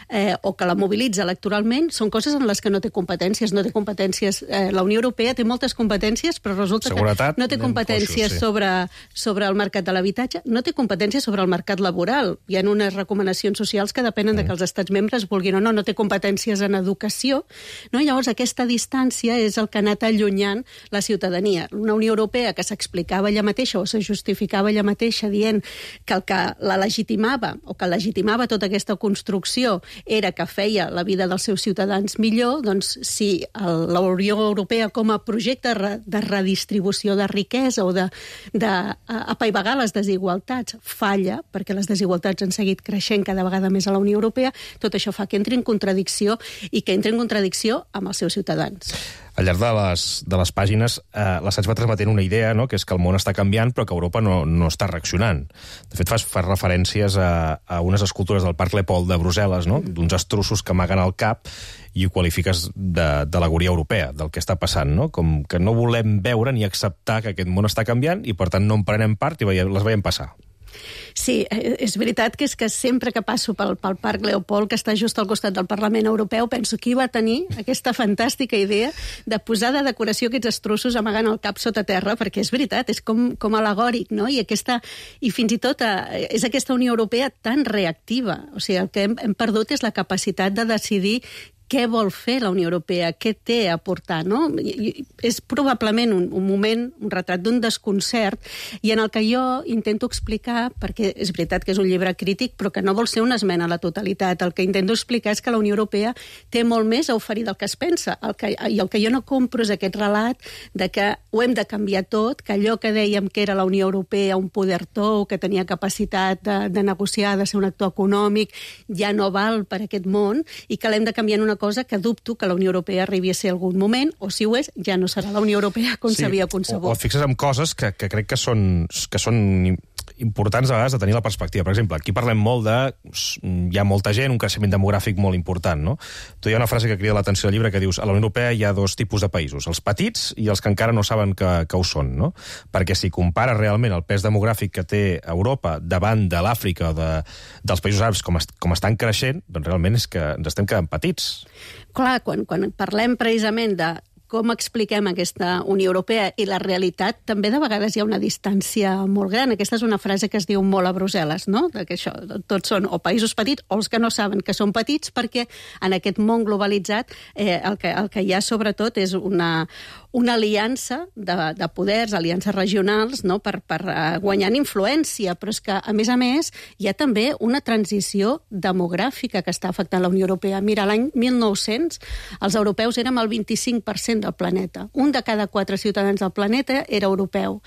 Eh, o que la mobilitza electoralment, són coses en les que no té competències. No té competències. Eh, la Unió Europea té moltes competències, però resulta Seguretat, que no té competències foixos, sí. sobre, sobre el mercat de l'habitatge, no té competències sobre el mercat laboral. Hi ha unes recomanacions socials que depenen mm. de que els estats membres vulguin o no. No té competències en educació. No? Llavors, aquesta distància és el que ha anat allunyant la ciutadania. Una Unió Europea que s'explicava ella mateixa o se justificava ella mateixa dient que el que la legitimava o que legitimava tota aquesta construcció era que feia la vida dels seus ciutadans millor, doncs si el, la Unió Europea com a projecte de redistribució de riquesa o d'apaivagar les desigualtats falla, perquè les desigualtats han seguit creixent cada vegada més a la Unió Europea, tot això fa que entri en contradicció i que entri en contradicció amb els seus ciutadans. Al llarg de les, de les pàgines, eh, l'assaig va transmetent una idea, no?, que és que el món està canviant però que Europa no, no està reaccionant. De fet, fas, fas referències a, a unes escultures del Parc Lepol de Brussel·les, no?, d'uns estrussos que amaguen el cap i ho qualifiques d'al·legoria europea, del que està passant, no?, com que no volem veure ni acceptar que aquest món està canviant i, per tant, no en prenem part i veiem, les veiem passar. Sí, és veritat que és que sempre que passo pel, pel Parc Leopold, que està just al costat del Parlament Europeu, penso qui va tenir aquesta fantàstica idea de posar de decoració aquests estrussos amagant el cap sota terra, perquè és veritat, és com, com al·legòric, no? I, aquesta, i fins i tot eh, és aquesta Unió Europea tan reactiva. O sigui, el que hem, hem perdut és la capacitat de decidir què vol fer la Unió Europea, què té a aportar, no? I, és probablement un, un moment, un retrat d'un desconcert, i en el que jo intento explicar, perquè és veritat que és un llibre crític, però que no vol ser una esmena a la totalitat. El que intento explicar és que la Unió Europea té molt més a oferir del que es pensa. El que, I el que jo no compro és aquest relat de que ho hem de canviar tot, que allò que dèiem que era la Unió Europea, un poder tou, que tenia capacitat de, de negociar, de ser un actor econòmic, ja no val per aquest món, i que l'hem de canviar en una cosa que dubto que la Unió Europea arribi a ser algun moment, o si ho és, ja no serà la Unió Europea com s'havia sí, concebut. O, o et fixes en coses que, que crec que són, que són importants a vegades de tenir la perspectiva. Per exemple, aquí parlem molt de... Hi ha molta gent, un creixement demogràfic molt important, no? Tu hi ha una frase que crida l'atenció al llibre que dius a la Unió Europea hi ha dos tipus de països, els petits i els que encara no saben que, que ho són, no? Perquè si compares realment el pes demogràfic que té Europa davant de l'Àfrica o de, dels països àrabs com, est, com estan creixent, doncs realment és que ens estem quedant petits. Clar, quan, quan parlem precisament de com expliquem aquesta Unió Europea i la realitat, també de vegades hi ha una distància molt gran. Aquesta és una frase que es diu molt a Brussel·les, no? Que això, tots són o països petits o els que no saben que són petits, perquè en aquest món globalitzat eh, el, que, el que hi ha sobretot és una, una aliança de, de poders, aliances regionals, no? per, per uh, guanyar influència, però és que, a més a més, hi ha també una transició demogràfica que està afectant la Unió Europea. Mira, l'any mil nou-cents els europeus érem el vint-i-cinc per cent del planeta. Un de cada quatre ciutadans del planeta era europeu.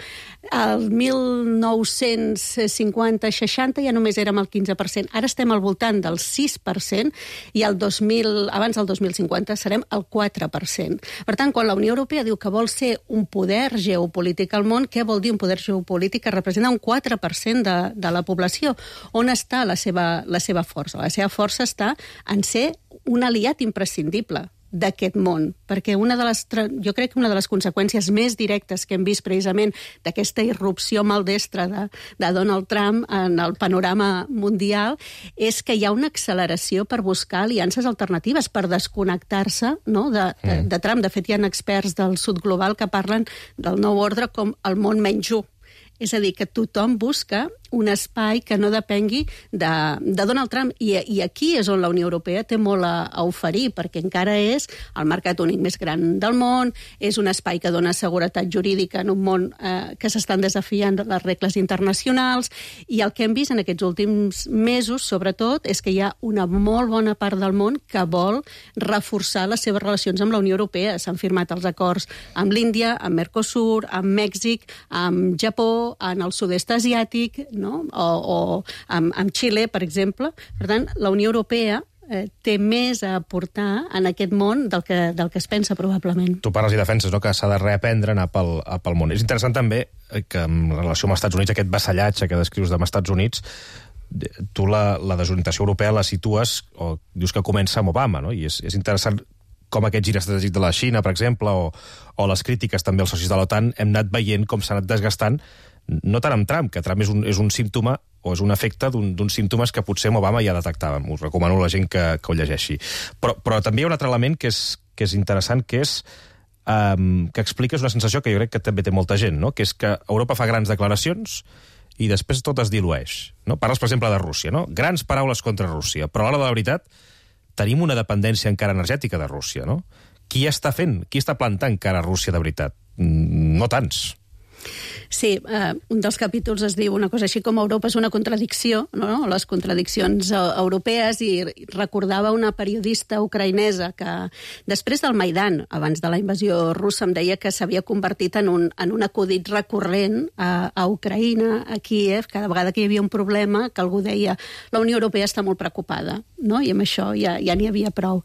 El mil nou-cents cinquanta seixanta ja només érem el quinze per cent. Ara estem al voltant del sis per cent i el dos mil, abans del dos mil cinquanta serem el quatre per cent. Per tant, quan la Unió Europea diu que vol ser un poder geopolític al món, què vol dir un poder geopolític que representa un quatre per cent de, de la població? On està la seva, la seva força? La seva força està en ser un aliat imprescindible d'aquest món, perquè una de les, jo crec que una de les conseqüències més directes que hem vist precisament d'aquesta irrupció maldestra de, de Donald Trump en el panorama mundial és que hi ha una acceleració per buscar aliances alternatives, per desconnectar-se, no?, de, de, de Trump. De fet, hi ha experts del sud global que parlen del nou ordre com el món menys u. És a dir, que tothom busca un espai que no depengui de, de Donald Trump. I, I aquí és on la Unió Europea té molt a, a oferir, perquè encara és el mercat únic més gran del món, és un espai que dona seguretat jurídica en un món eh, que s'estan desafiant les regles internacionals, i el que hem vist en aquests últims mesos, sobretot, és que hi ha una molt bona part del món que vol reforçar les seves relacions amb la Unió Europea. S'han firmat els acords amb l'Índia, amb Mercosur, amb Mèxic, amb Japó, en el sud-est asiàtic, no? o, o amb, amb Xile, per exemple. Per tant, la Unió Europea eh, té més a aportar en aquest món del que, del que es pensa, probablement. Tu parles i defenses, no?, que s'ha de reaprendre a anar pel, a pel món. És interessant també que en relació amb els Estats Units, aquest vassallatge que descrius dels Estats Units, tu la, la desorientació europea la situes, o dius que comença amb Obama, no? I és, és interessant com aquest gir estratègic de la Xina, per exemple, o, o les crítiques també als socis de l'OTAN, hem anat veient com s'ha anat desgastant, no tant amb Trump, que Trump és un, és un símptoma o és un efecte d'uns un, símptomes que potser amb Obama ja detectàvem. Us recomano a la gent que, que ho llegeixi. Però, però també hi ha un altre element que és, que és interessant, que és um, que expliques una sensació que jo crec que també té molta gent, no? Que és que Europa fa grans declaracions i després tot es dilueix. No? Parles, per exemple, de Rússia, no? Grans paraules contra Rússia, però a l'hora de la veritat tenim una dependència encara energètica de Rússia, no? Qui està fent? Qui està plantant cara a Rússia de veritat? No tants. Sí, eh, un dels capítols es diu una cosa així com Europa és una contradicció, no? Les contradiccions eh, europees, i recordava una periodista ucraïnesa que després del Maidan, abans de la invasió russa, em deia que s'havia convertit en un, en un acudit recurrent a, a Ucraïna, a Kíev, cada vegada que hi havia un problema, que algú deia la Unió Europea està molt preocupada, no? I amb això ja, ja n'hi havia prou.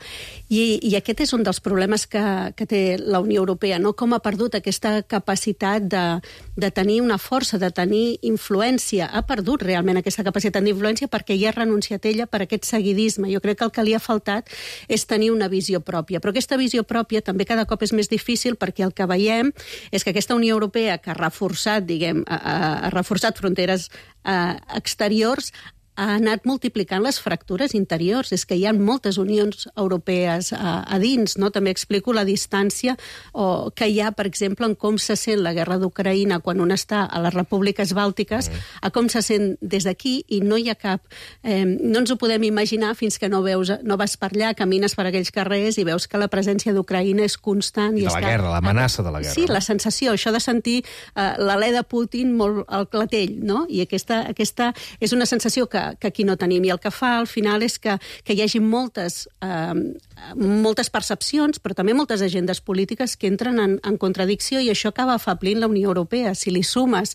I, I aquest és un dels problemes que, que té la Unió Europea, no? Com ha perdut aquesta capacitat de, de tenir una força, de tenir influència. Ha perdut realment aquesta capacitat d'influència perquè ja ha renunciat ella per aquest seguidisme. Jo crec que el que li ha faltat és tenir una visió pròpia. Però aquesta visió pròpia també cada cop és més difícil perquè el que veiem és que aquesta Unió Europea que ha reforçat, diguem, ha, ha reforçat fronteres eh, exteriors, ha anat multiplicant les fractures interiors. És que hi ha moltes unions europees a, a dins, no? També explico la distància o, que hi ha, per exemple, en com se sent la guerra d'Ucraïna quan un està a les repúbliques bàltiques, mm. a com se sent des d'aquí, i no hi ha cap... Eh, no ens ho podem imaginar fins que no veus, no vas per allà, camines per aquells carrers i veus que la presència d'Ucraïna és constant. I I de la està... guerra, l'amenaça de la guerra. Sí, la sensació, això de sentir eh, l'alè de Putin molt al clatell, no? I aquesta, aquesta és una sensació que que aquí no tenim. I el que fa, al final, és que, que hi hagi moltes, eh, moltes percepcions, però també moltes agendes polítiques que entren en, en contradicció, i això acaba afeblint la Unió Europea. Si li sumes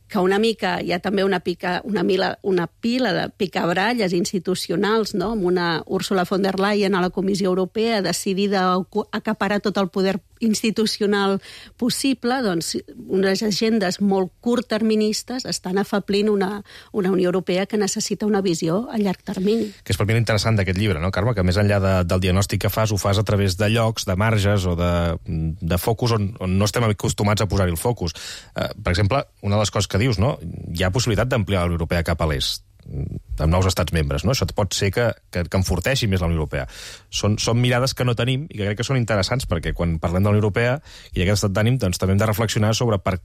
que una mica hi ha també una, pica, una, mila, una pila de picabralles institucionals, no? Amb una Ursula von der Leyen a la Comissió Europea decidida a acaparar tot el poder institucional possible, doncs unes agendes molt curtterministes estan afeblint una, una Unió Europea que necessita una visió a llarg termini. Que és per mi l'interessant d'aquest llibre, no, Carme? Que més enllà de, del diagnòstic que fas, ho fas a través de llocs, de marges o de, de focus on, on no estem acostumats a posar-hi el focus. Uh, per exemple, una de les coses que dius, no? Hi ha possibilitat d'ampliar la Unió Europea cap a l'est, amb nous estats membres, no? Això pot ser que, que, que enforteixi més la Unió Europea. Són, són mirades que no tenim i que crec que són interessants, perquè quan parlem de la Unió Europea i d'aquest estat d'ànim, doncs també hem de reflexionar sobre per,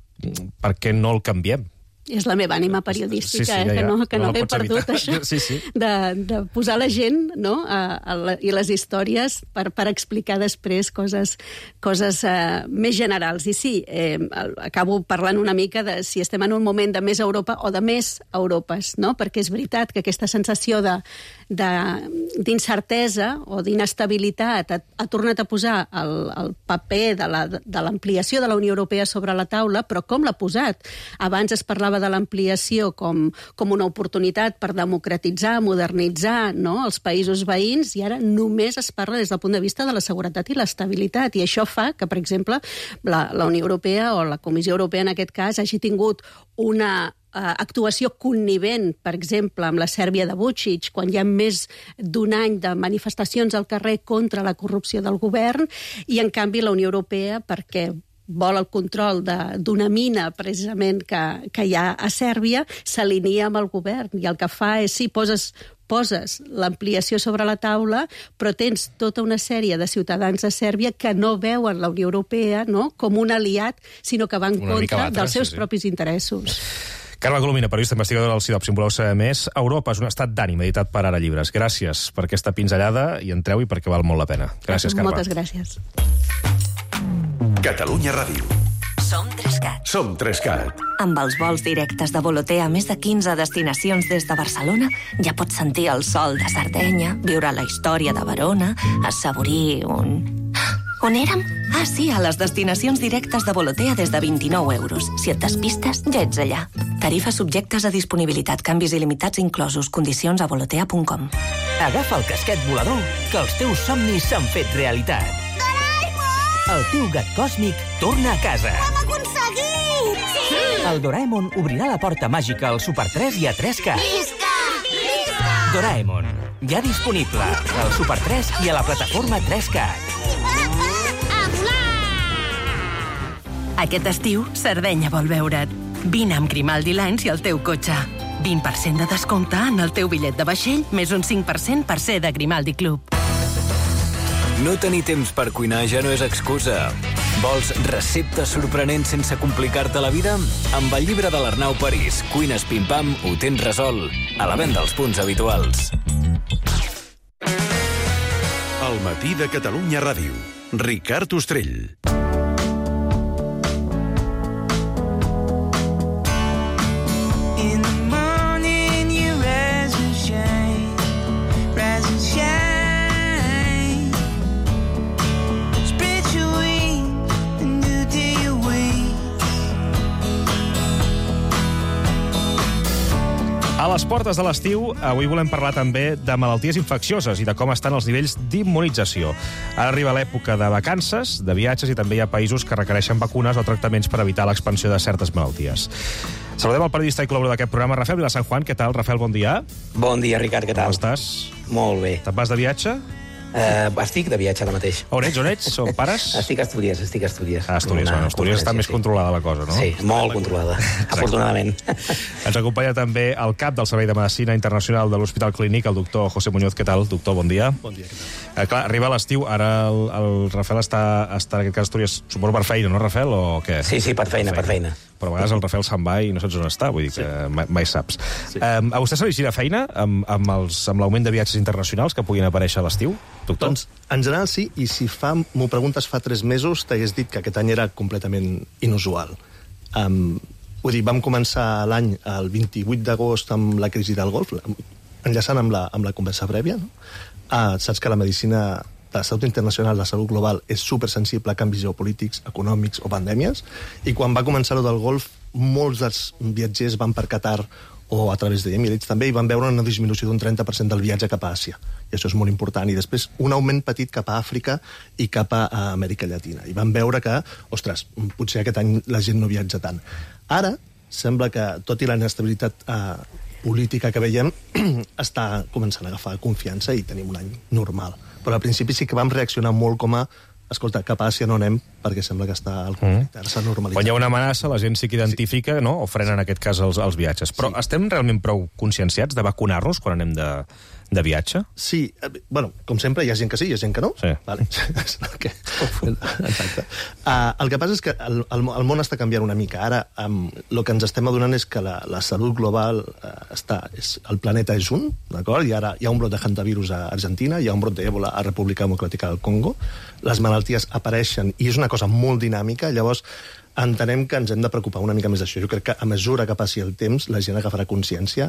per què no el canviem. És la meva ànima periodística, sí, sí, ja, eh, que no, que no, no l'he perdut, evitar. això, sí, sí. De, de posar la gent, no?, a, a la, i les històries per, per explicar després coses, coses uh, més generals. I sí, eh, acabo parlant una mica de si estem en un moment de més Europa o de més Europes, no?, perquè és veritat que aquesta sensació de d'incertesa o d'inestabilitat ha, ha tornat a posar el, el paper de la, de l'ampliació de la Unió Europea sobre la taula, però com l'ha posat? Abans es parlava de l'ampliació com, com una oportunitat per democratitzar, modernitzar, no?, els països veïns, i ara només es parla des del punt de vista de la seguretat i l'estabilitat, i això fa que, per exemple, la, la Unió Europea o la Comissió Europea en aquest cas hagi tingut una actuació connivent, per exemple, amb la Sèrbia de Vučić, quan hi ha més d'un any de manifestacions al carrer contra la corrupció del govern, i en canvi la Unió Europea, perquè vol el control d'una mina precisament que, que hi ha a Sèrbia, s'alinea amb el govern, i el que fa és, sí, poses poses l'ampliació sobre la taula, però tens tota una sèrie de ciutadans de Sèrbia que no veuen la Unió Europea, no?, com un aliat, sinó que van en contra dels seus sí, sí. propis interessos. Carme Colomina, periodista investigadora del CIDOB. Si en voleu saber més, Europa és un estat d'ànim, editat per Ara Llibres. Gràcies per aquesta pinzellada, i entreu-hi perquè val molt la pena. Gràcies, Carme. Moltes gràcies. Catalunya Ràdio. Som Trescat. Som Trescat. Amb els vols directes de Volotea a més de quinze destinacions des de Barcelona, ja pots sentir el sol de Sardenya, viure la història de Verona, assaborir un... On érem? Ah, sí, a les destinacions directes de Volotea des de vint-i-nou euros. Si et despistes, ja ets allà. Tarifes subjectes a disponibilitat, canvis il·limitats inclosos, condicions a volotea punt com. Agafa el casquet volador, que els teus somnis s'han fet realitat. Doraemon! El teu gat còsmic torna a casa. Ho hem aconseguit! Sí! El Doraemon obrirà la porta màgica al Super tres i a tres K. Visca! Visca! Doraemon, ja disponible al Super tres i a la plataforma tres K. Aquest estiu, Sardenya vol veure't. Vine amb Grimaldi Lines i el teu cotxe. vint per cent de descompte en el teu bitllet de vaixell, més un cinc per cent per ser de Grimaldi Club. No tenir temps per cuinar ja no és excusa. Vols receptes sorprenents sense complicar-te la vida? Amb el llibre de l'Arnau París, Cuines Pim Pam, ho tens resolt. A la venda als punts habituals. El matí de Catalunya Ràdio. Ricard Ostrell. A les portes de l'estiu, avui volem parlar també de malalties infeccioses i de com estan els nivells d'immunització. Ara arriba l'època de vacances, de viatges, i també hi ha països que requereixen vacunes o tractaments per evitar l'expansió de certes malalties. Saludem el periodista i col·laborador d'aquest programa, Rafael Vilasan Juan. Què tal, Rafael? Bon dia. Bon dia, Ricard, què tal? Com estàs? Molt bé. Te'n vas de viatge? Uh, estic de viatge ara mateix. On ets? On ets? Són pares? Estic a Astúries, estic a Astúries. A Astúries, bueno, Astúries està més controlada la cosa, no? Sí, molt controlada, afortunadament. Ens acompanya també el cap del Servei de Medicina Internacional de l'Hospital Clínic, el doctor José Muñoz. Què tal, doctor? Bon dia. Bon dia, què tal? Eh, clar, arriba l'estiu, ara el, el Rafael està, està en aquest cas a Astúries, suposo per feina, no, Rafael, o què? Sí, sí, per feina, per feina. Però a vegades el Rafael se'n va i no saps on està, vull dir que sí. mai, mai saps. Sí. Um, a vostè se li gira feina amb, amb, els, amb l'augment de viatges internacionals que puguin aparèixer a l'estiu, doctor? Doncs, en general sí, i si fa, m'ho preguntes fa tres mesos, t'hagués dit que aquest any era completament inusual. Um, vull dir, vam començar l'any el vint-i-vuit d'agost amb la crisi del Golf, enllaçant amb la, amb la conversa prèvia, no? Ah, saps que la medicina de la salut internacional, la salut global, és supersensible a canvis geopolítics, econòmics o pandèmies, i quan va començar-ho del Golf, molts dels viatgers van per Qatar o a través d'Emirates també, i van veure una disminució d'un trenta per cent del viatge cap a Àsia. I això és molt important. I després un augment petit cap a Àfrica i cap a Amèrica Llatina. I van veure que, ostres, potser aquest any la gent no viatja tant. Ara, sembla que, tot i la inestabilitat eh, política que veiem, està començant a agafar confiança i tenim un any normal. Però al principi sí que vam reaccionar molt com a escolta, cap a Àsia no anem perquè sembla que està al conflicte, mm. s'ha normalitzat. Quan hi ha una amenaça, la gent sí que identifica, sí. no? o frena en aquest cas els, els viatges. Però sí. estem realment prou conscienciats de vacunar-nos quan anem de, de viatge? Sí, bueno, com sempre, hi ha gent que sí, hi ha gent que no. Sí. Vale. okay. Exacte. Uh, el que passa és que el, el, el món està canviant una mica. Ara, um, el que ens estem adonant és que la, la salut global uh, està... És, el planeta és un, d'acord? I ara hi ha un brot de hantavirus a Argentina, hi ha un brot d'Ebola a República Democràtica del Congo, les malalties apareixen i és una cosa molt dinàmica, llavors entenem que ens hem de preocupar una mica més d'això. Jo crec que a mesura que passi el temps la gent agafarà consciència.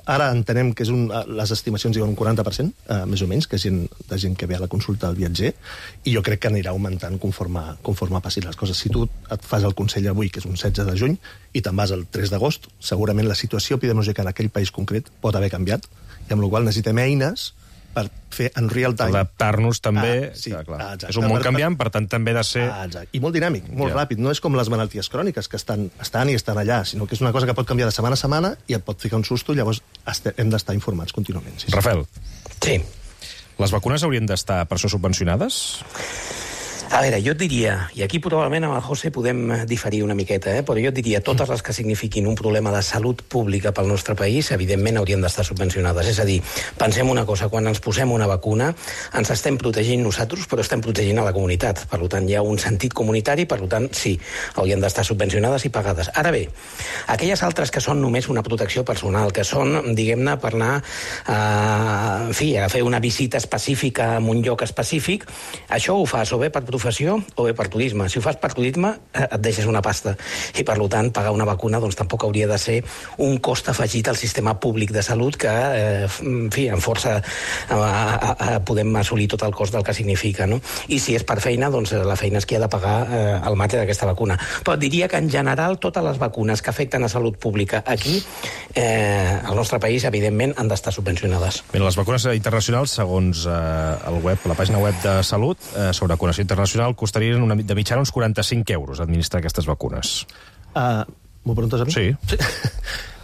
Ara entenem que és un, les estimacions diuen un quaranta per cent, eh, més o menys, que és gent, de gent que ve a la consulta del viatger, i jo crec que anirà augmentant conforme, conforme passin les coses. Si tu et fas el consell avui, que és un setze de juny, i te'n vas el tres d'agost, segurament la situació epidemiològica en aquell país concret pot haver canviat, i amb la qual cosa necessitem eines per fer en real time... Adaptar-nos també... Ah, sí, clar, clar. Exacte. És un món canviant, per tant, també ha de ser... Ah, exacte. I molt dinàmic, molt ja. ràpid. No és com les malalties cròniques, que estan, estan i estan allà, sinó que és una cosa que pot canviar de setmana a setmana i et pot ficar un susto, i llavors hem d'estar informats contínuament. Sí, sí. Rafael. Sí. Les vacunes haurien d'estar per això subvencionades? A veure, jo et diria, i aquí probablement amb el José podem diferir una miqueta, eh? però jo et diria, totes les que signifiquin un problema de salut pública pel nostre país, evidentment haurien d'estar subvencionades. És a dir, pensem una cosa, quan ens posem una vacuna, ens estem protegint nosaltres, però estem protegint a la comunitat. Per tant, hi ha un sentit comunitari, per tant, sí, haurien d'estar subvencionades i pagades. Ara bé, aquelles altres que són només una protecció personal, que són, diguem-ne, per anar a, en fi, a fer una visita específica en un lloc específic, això ho fas o bé per professió o bé per turisme. Si ho fas per turisme, et deixes una pasta. I, per tant, pagar una vacuna doncs, tampoc hauria de ser un cost afegit al sistema públic de salut que, eh, en fi, en força a, a, a, podem assolir tot el cost del que significa. No? I si és per feina, doncs la feina és qui ha de pagar eh, el mate d'aquesta vacuna. Però diria que, en general, totes les vacunes que afecten a salut pública aquí, eh, al nostre país, evidentment, han d'estar subvencionades. Bé, les vacunes internacionals, segons eh, el web, la pàgina web de Salut, eh, sobre vacunació internacional, costarien una, de mitjana uns quaranta-cinc euros administrar aquestes vacunes. Uh, M'ho preguntes a mi? Sí. sí.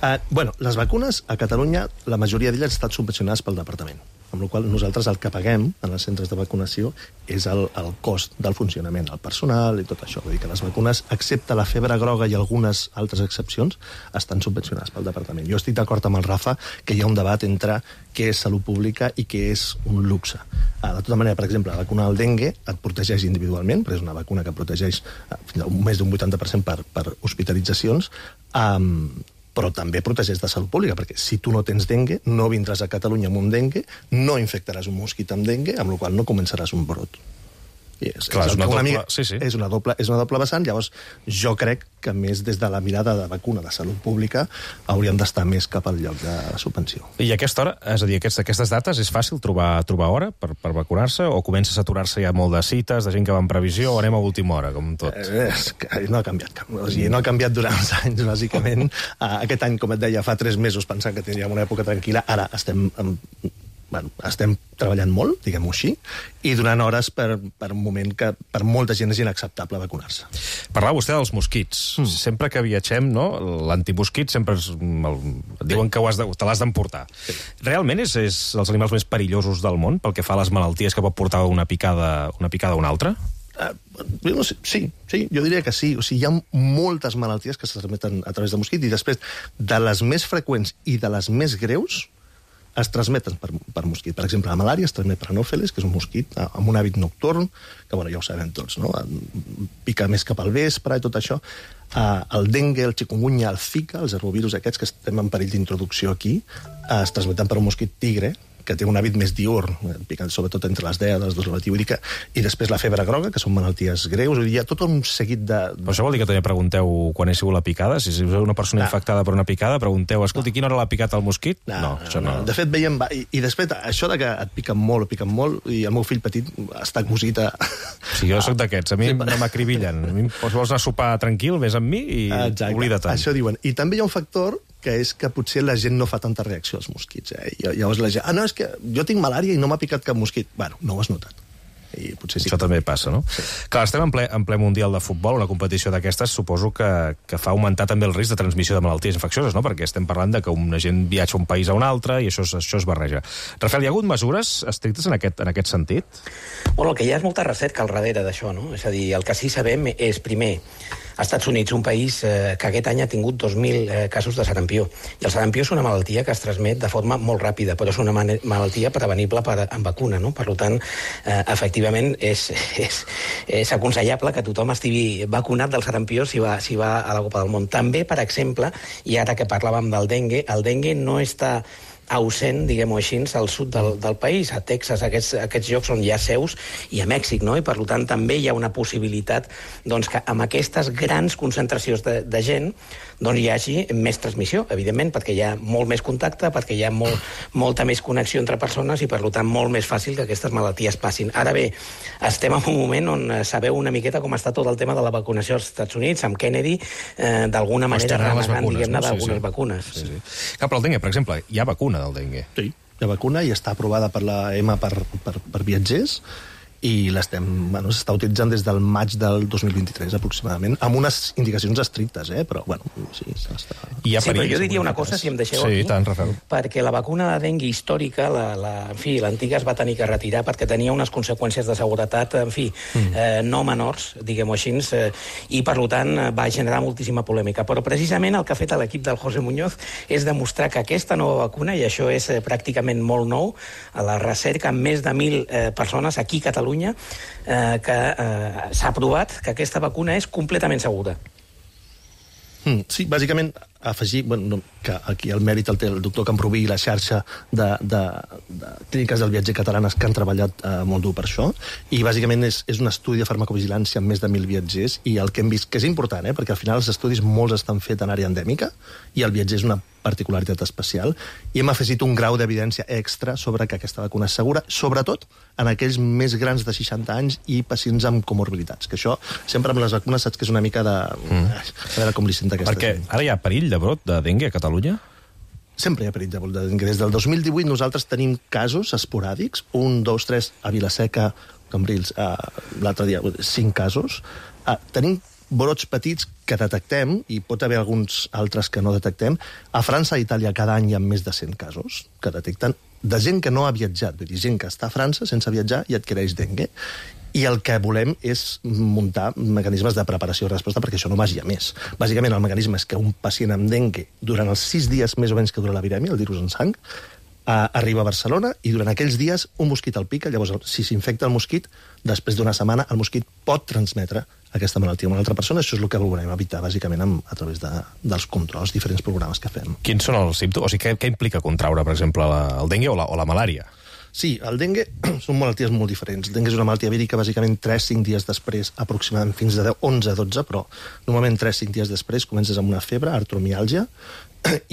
uh, bueno, les vacunes a Catalunya, la majoria d'elles han estat subvencionades pel departament, amb la qual cosa nosaltres el que paguem en els centres de vacunació és el, el cost del funcionament, el personal i tot això. Vull dir que les vacunes, excepte la febre groga i algunes altres excepcions, estan subvencionades pel departament. Jo estic d'acord amb el Rafa que hi ha un debat entre què és salut pública i què és un luxe. Uh, de tota manera, per exemple, la vacuna del dengue et protegeix individualment, però és una vacuna que protegeix uh, fins a més d'un vuitanta per cent per, per hospitalitzacions, um, però també protegeix de salut pública, perquè si tu no tens dengue, no vindràs a Catalunya amb un dengue, no infectaràs un mosquit amb dengue, amb la qual cosa no començaràs un brot. És, Clar, és, és, una una doble, mica, sí, sí. és, una doble, és una doble vessant. Llavors, jo crec que més des de la mirada de vacuna de salut pública hauríem d'estar més cap al lloc de subvenció. I a aquesta hora, és a dir, aquestes, aquestes dates, és fàcil trobar, trobar hora per, per vacunar-se o comença a saturar-se ja molt de cites, de gent que va en previsió, o anem a última hora, com tot? Eh, és que no ha canviat. O sigui, no ha canviat durant els anys, bàsicament. Aquest any, com et deia, fa tres mesos pensant que tindríem una època tranquil·la, ara estem... En, Bueno, estem treballant molt, diguem-ho així, i donant hores per, per un moment que per molta gent és inacceptable vacunar-se. Parlava vostè dels mosquits. Mm. Sempre que viatgem, no, l'antimosquit sempre és, el, diuen que ho has de, te l'has d'emportar. Sí. Realment és, és els animals més perillosos del món pel que fa a les malalties que pot portar una picada, una picada o una altra? Uh, no sé, sí, sí, jo diria que sí. O sigui, hi ha moltes malalties que se transmeten a través de mosquit i després, de les més freqüents i de les més greus, es transmeten per, per mosquit. Per exemple, la malària es transmet per anòfeles, que és un mosquit amb un hàbit nocturn, que bueno, ja ho sabem tots, no? Pica més cap al vespre i tot això. Uh, el dengue, el chikungunya, el zika, els arbovirus aquests que estem en perill d'introducció aquí, uh, es transmeten per un mosquit tigre, que té un hàbit més diurn, picant sobretot entre les deu i les dues de la matí, vull dir que... I després la febre groga, que són malalties greus, vull dir, hi ha tot un seguit de... Però això vol dir que també pregunteu quan és sigut la picada? Si és una persona no. infectada per una picada, pregunteu, escolti, no. quina hora l'ha picat el mosquit? No, no, no, això no. no. De fet, veiem... I, I després, això de que et piquen molt, piquen molt, i el meu fill petit està cosit a... Sí, jo soc d'aquests, a mi no m'acribillen. A mi vols anar a sopar tranquil, vés amb mi i Exacte. Oblida't. Això diuen. I també hi ha un factor que és que potser la gent no fa tanta reacció als mosquits. Eh? I llavors la gent, ah, no, és que jo tinc malària i no m'ha picat cap mosquit. Bueno, no ho has notat. I potser sí. Això també passa, no? Sí. Clar, estem en ple, en ple Mundial de Futbol, una competició d'aquestes, suposo que, que fa augmentar també el risc de transmissió de malalties infeccioses, no? Perquè estem parlant de que una gent viatja un país a un altre i això, això es barreja. Rafael, hi ha hagut mesures estrictes en aquest, en aquest sentit? Bueno, el que hi ha és molta recerca al darrere d'això, no? És a dir, el que sí sabem és, primer, als Estats Units, un país eh, que aquest any ha tingut dos mil eh, casos de sarampió. I el sarampió és una malaltia que es transmet de forma molt ràpida, però és una malaltia prevenible per, amb vacuna, no? Per tant, eh, efectivament, és, és, és aconsellable que tothom estigui vacunat del sarampió si va, si va a la Copa del Món. També, per exemple, i ara que parlàvem del dengue, el dengue no està ausent, diguem-ho així, al sud del, del país, a Texas, aquests, aquests llocs on hi ha seus, i a Mèxic, no? I per tant també hi ha una possibilitat doncs, que amb aquestes grans concentracions de, de gent doncs hi hagi més transmissió, evidentment, perquè hi ha molt més contacte, perquè hi ha molt, molta més connexió entre persones i per tant molt més fàcil que aquestes malalties passin. Ara bé, estem en un moment on sabeu una miqueta com està tot el tema de la vacunació als Estats Units, amb Kennedy, eh, d'alguna manera renegant, diguem-ne, no? d'algunes sí, sí. vacunes. Sí, sí. Clar, però el dengue, per exemple, hi ha vacuna del dengue. Sí, hi ha vacuna i està aprovada per la E M A per, per, per viatgers i l'estem, bueno, s'està utilitzant des del maig del dos mil vint-i-tres aproximadament, amb unes indicacions estrictes, eh? Però, bueno, sí, s'està... Sí, però jo diria una cosa, si em deixeu sí, aquí, tant, Rafael. perquè la vacuna de dengue històrica, la, la, en fi, l'antiga es va tenir que retirar perquè tenia unes conseqüències de seguretat, en fi, mm. eh, no menors, diguem-ho així, eh, i per tant va generar moltíssima polèmica. Però precisament el que ha fet l'equip del José Muñoz és demostrar que aquesta nova vacuna, i això és eh, pràcticament molt nou, a la recerca amb més de mil eh, persones aquí a Catalunya, Eh, que eh, s'ha provat que aquesta vacuna és completament segura. Mm, sí, bàsicament afegir, bueno, que aquí el mèrit el té el doctor Camproví i la xarxa de, de, de clíniques del viatger catalanes que han treballat eh, molt dur per això, i bàsicament és, és un estudi de farmacovigilància amb més de mil viatgers, i el que hem vist, que és important, eh, perquè al final els estudis molts estan fets en àrea endèmica, i el viatger és una particularitat especial, i hem afegit un grau d'evidència extra sobre que aquesta vacuna és segura, sobretot en aquells més grans de seixanta anys i pacients amb comorbilitats, que això sempre amb les vacunes saps que és una mica de... Mm. A veure com li senta aquesta Perquè gent. Ara hi ha perill de brot de dengue a Catalunya? Sempre hi ha perill de brot de dengue. Des del dos mil divuit nosaltres tenim casos esporàdics, un, dos, tres, a Vilaseca, Cambrils, uh, l'altre dia, cinc casos. Uh, tenim brots petits que detectem, i pot haver alguns altres que no detectem. A França i Itàlia cada any hi ha més de cent casos que detecten de gent que no ha viatjat, vull dir, gent que està a França sense viatjar i adquireix dengue. I el que volem és muntar mecanismes de preparació i resposta perquè això no vagi a més. Bàsicament, el mecanisme és que un pacient amb dengue, durant els sis dies més o menys que dura la virèmia, el virus en sang, Uh, arriba a Barcelona i durant aquells dies un mosquit el pica, llavors si s'infecta el mosquit, després d'una setmana el mosquit pot transmetre aquesta malaltia a una altra persona. Això és el que volem evitar bàsicament amb, a través de, dels controls, diferents programes que fem. Quins són els símptomes? O sigui, què, què implica contraure, per exemple, la, el dengue o la, o la malària? Sí, el dengue són malalties molt diferents. El dengue és una malaltia vírica, bàsicament tres a cinc dies després, aproximadament fins a onze a dotze, però normalment tres a cinc dies després comences amb una febre, artromiàlgia,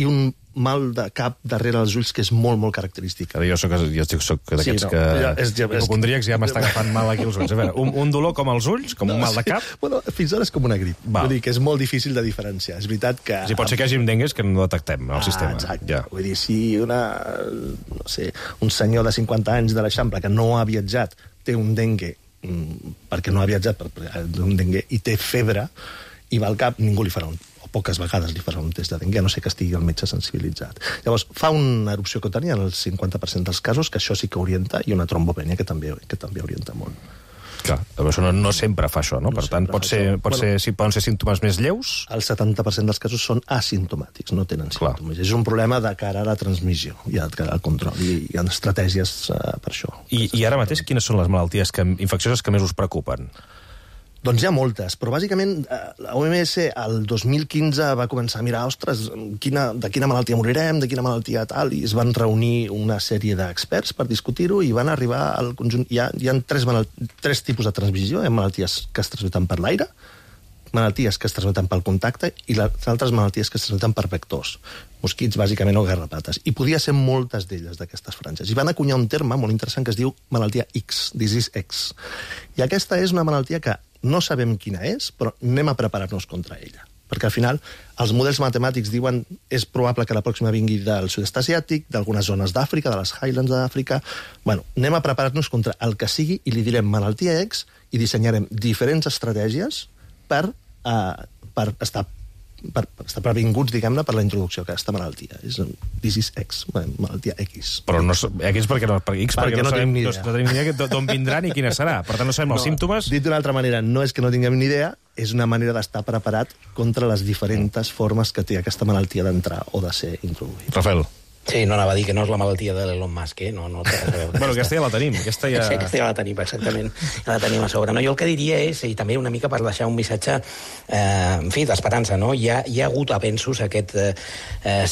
i un mal de cap darrere els ulls que és molt, molt característic. Jo soc, jo soc d'aquests sí, no, que... Ja, és, ja, hipocondríacs ja m'està agafant mal aquí els ulls. A veure, un, un dolor com els ulls, com no, un mal de cap... Sí. Bueno, fins ara és com una grip. Vull dir que és molt difícil de diferenciar. És veritat que... Sí, pot ser que hi hagi dengues que no detectem al ah, sistema. Exacte. Ja. Vull dir, si una, no sé, un senyor de cinquanta anys de l'Eixample que no ha viatjat té un dengue perquè no ha viatjat per, per un dengue i té febre i va al cap, ningú li farà un poques vegades li farà un test de dengue, a no ser que estigui el metge sensibilitzat. Llavors, fa una erupció cutània en el cinquanta per cent dels casos, que això sí que orienta, i una trombopènia, que també, que també orienta molt. Clar, però això no, no sempre fa això, no? Per no tant, pot ser, pot bueno, ser, si poden ser símptomes més lleus? El setanta per cent dels casos són asimptomàtics, no tenen símptomes. És un problema de cara a la transmissió i al control, i hi ha estratègies uh, per això. I, I ara mateix, quines són les malalties que, infeccioses que més us preocupen? Doncs hi ha moltes, però bàsicament la O M S el dos mil quinze va començar a mirar, ostres, quina, de quina malaltia morirem, de quina malaltia tal, i es van reunir una sèrie d'experts per discutir-ho i van arribar al conjunt... Hi ha, hi ha tres, tres tipus de transmissió, hi ha malalties que es transmeten per l'aire, malalties que es transmeten pel contacte i les altres malalties que es transmeten per vectors, mosquits, bàsicament, o garrapates. I podia ser moltes d'elles, d'aquestes franges. I van acunyar un terme molt interessant que es diu malaltia X, disease X. I aquesta és una malaltia que no sabem quina és, però anem a preparar-nos contra ella. Perquè al final els models matemàtics diuen és probable que la pròxima vingui del sud-est asiàtic, d'algunes zones d'Àfrica, de les Highlands d'Àfrica... Bueno, anem a preparar-nos contra el que sigui i li direm malaltia X i dissenyarem diferents estratègies per, uh, per estar per estar previnguts, diguem-ne, per la introducció d'aquesta malaltia. És un disease X, malaltia X. Però no, X perquè no, per X perquè, perquè no, no, sabem, no, no tenim ni idea d'on vindrà ni quina serà. Per tant, no sabem no, els símptomes. Dit d'una altra manera, no és que no tinguem ni idea, és una manera d'estar preparat contra les diferents formes que té aquesta malaltia d'entrar o de ser introduïda. Rafael. Sí, no anava a dir que no és la malaltia de l'Elon Musk, eh? No, no té res a veure. Bueno, aquesta ja la tenim. Aquesta ja... Sí, aquesta ja la tenim, exactament. Ja la tenim a sobre. No, jo el que diria és, i també una mica per deixar un missatge, eh, en fi, d'esperança, no? Hi ha, hi ha hagut avenços aquest eh,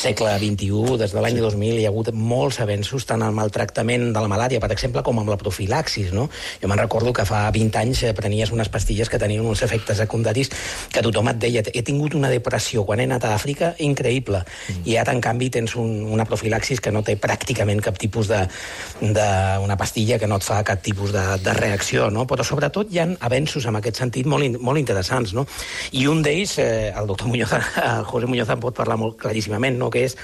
segle vint-i-u, des de l'any sí. dos mil, hi ha hagut molts avenços, tant en el maltractament de la malària, per exemple, com amb la profilaxis, no? Jo me'n recordo que fa vint anys prenies unes pastilles que tenien uns efectes secundaris que tothom et deia, he tingut una depressió quan he anat a Àfrica increïble, mm. i ara, en canvi, tens un, una profilaxis que no té pràcticament cap tipus de, de una pastilla que no et fa cap tipus de, de reacció, no? Però sobretot hi ha avenços en aquest sentit molt, molt interessants, no? I un d'ells, eh, el doctor Muñoz, el José Muñoz en pot parlar molt claríssimament, no? Que és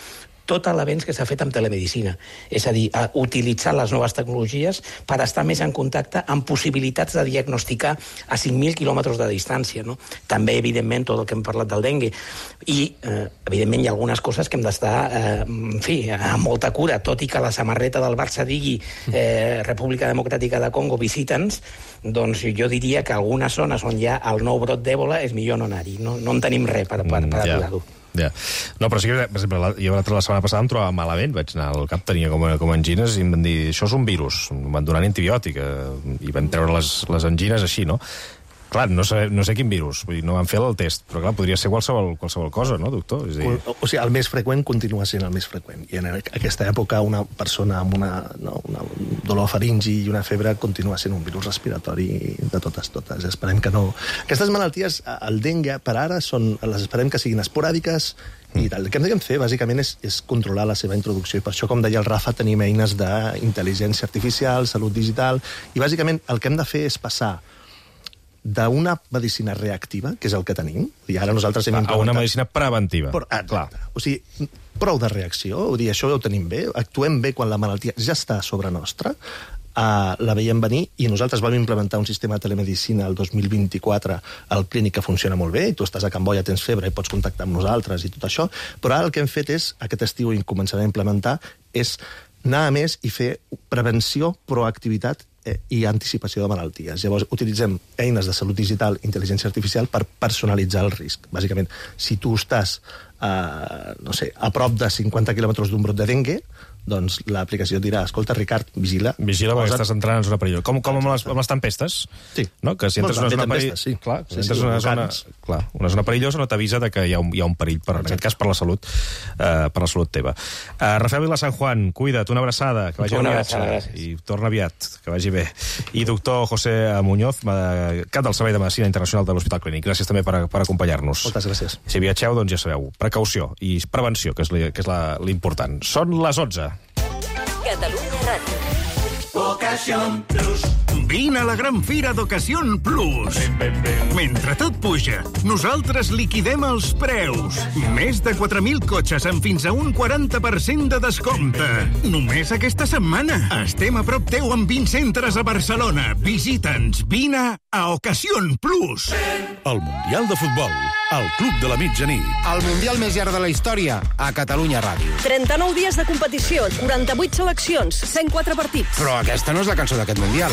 tot l'avenç que s'ha fet amb telemedicina. És a dir, a utilitzar les noves tecnologies per estar més en contacte amb possibilitats de diagnosticar a cinc mil quilòmetres de distància, no? També, evidentment, tot el que hem parlat del dengue. I, eh, evidentment, hi ha algunes coses que hem d'estar, eh, en fi, amb molta cura, tot i que la samarreta del Barça digui eh, República Democràtica de Congo, visita'ns, doncs jo diria que algunes zones on hi ha el nou brot d'Èbola és millor no anar-hi. No, no en tenim res per, per, per aturar-ho. Ja. No, però sí que, per exemple, jo la setmana passada em trobava malament, vaig anar al cap, tenia com, com angines, i em van dir, això és un virus, em van donar antibiòtic, eh, i van treure les, les angines així, no? Clar, no sé, no sé quin virus, vull dir, no van fer el test, però clar, podria ser qualsevol, qualsevol cosa, no, doctor? És dir... o, o sigui, el més freqüent continua sent el més freqüent, i en aquesta època una persona amb una, no, una dolor faringi i una febre continua sent un virus respiratori de totes, totes. Esperem que no... Aquestes malalties, el dengue, per ara, són, les esperem que siguin esporàdiques, i el que hem de fer, bàsicament, és, és controlar la seva introducció. I per això, com deia el Rafa, tenim eines d'intel·ligència artificial, salut digital, i bàsicament el que hem de fer és passar d'una medicina reactiva, que és el que tenim, i ara nosaltres hem implementat... A una medicina preventiva. Però, ah, clar. O sigui, prou de reacció, vull dir, això ho tenim bé, actuem bé quan la malaltia ja està a sobre nostra, Uh, la veiem venir, i nosaltres vam implementar un sistema de telemedicina el dos mil vint-i-quatre al clínic que funciona molt bé, i tu estàs a Can Boia, tens febre i pots contactar amb nosaltres i tot això, però ara el que hem fet és, aquest estiu i començarem a implementar, és anar a més i fer prevenció, proactivitat eh, i anticipació de malalties. Llavors, utilitzem eines de salut digital, intel·ligència artificial, per personalitzar el risc. Bàsicament, si tu estàs uh, no sé, a prop de cinquanta quilòmetres d'un brot de dengue, doncs l'aplicació dirà, escolta, Ricard, vigila. Vigila perquè estàs entrant en zona perillosa. Com, com amb, les, amb les tempestes? Sí. No? Que si entres en una zona perillosa... Sí. Clar, si sí, entres sí, en una zona, volcans. clar, una zona perillosa no t'avisa de que hi ha un, hi ha un perill, per, en aquest cas per la salut, uh, per la salut teva. Uh, Rafael Vila San Juan, cuida't, una abraçada, que vagi una viatge, abraçada, i torna aviat, que vagi bé. I doctor José Muñoz, cap del Servei de Medicina Internacional de l'Hospital Clínic. Gràcies també per, per acompanyar-nos. Moltes gràcies. Si viatgeu, doncs ja sabeu, precaució i prevenció, que és, li, que és la, l'important. Són les onze. Catalunya Ràdio. Ocasión Plus. Vine a la gran fira d'Ocasión Plus. Mentre tot puja, nosaltres liquidem els preus. Més de quatre mil cotxes amb fins a un quaranta per cent de descompte. Només aquesta setmana. Estem a prop teu amb vint centres a Barcelona. Visita'ns. Vine a Ocasión Plus. El Mundial de Futbol, al Club de la Mitjanit. El Mundial més llarg de la història, a Catalunya Ràdio. trenta-nou dies de competició, quaranta-vuit seleccions, cent quatre partits. Però aquesta no és la cançó d'aquest Mundial.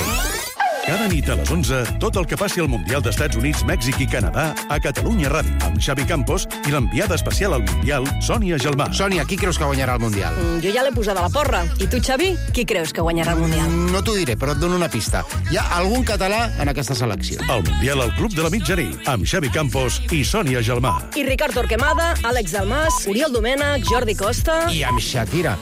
Cada nit a les onze, tot el que passi al Mundial d'Estats Units, Mèxic i Canadà a Catalunya Ràdio, amb Xavi Campos i l'enviada especial al Mundial, Sònia Gelmà. Sònia, qui creus que guanyarà el Mundial? Mm, jo ja l'he posada a la porra. I tu, Xavi, qui creus que guanyarà el Mundial? Mm, no t'ho diré, però et dono una pista. Hi ha algun català en aquesta selecció. El Mundial al Club de la Mitjanit, amb Xavi Campos i Sònia Gelmà. I Ricard Torquemada, Àlex Dalmas, Oriol Domènech, Jordi Costa... I amb Shakira.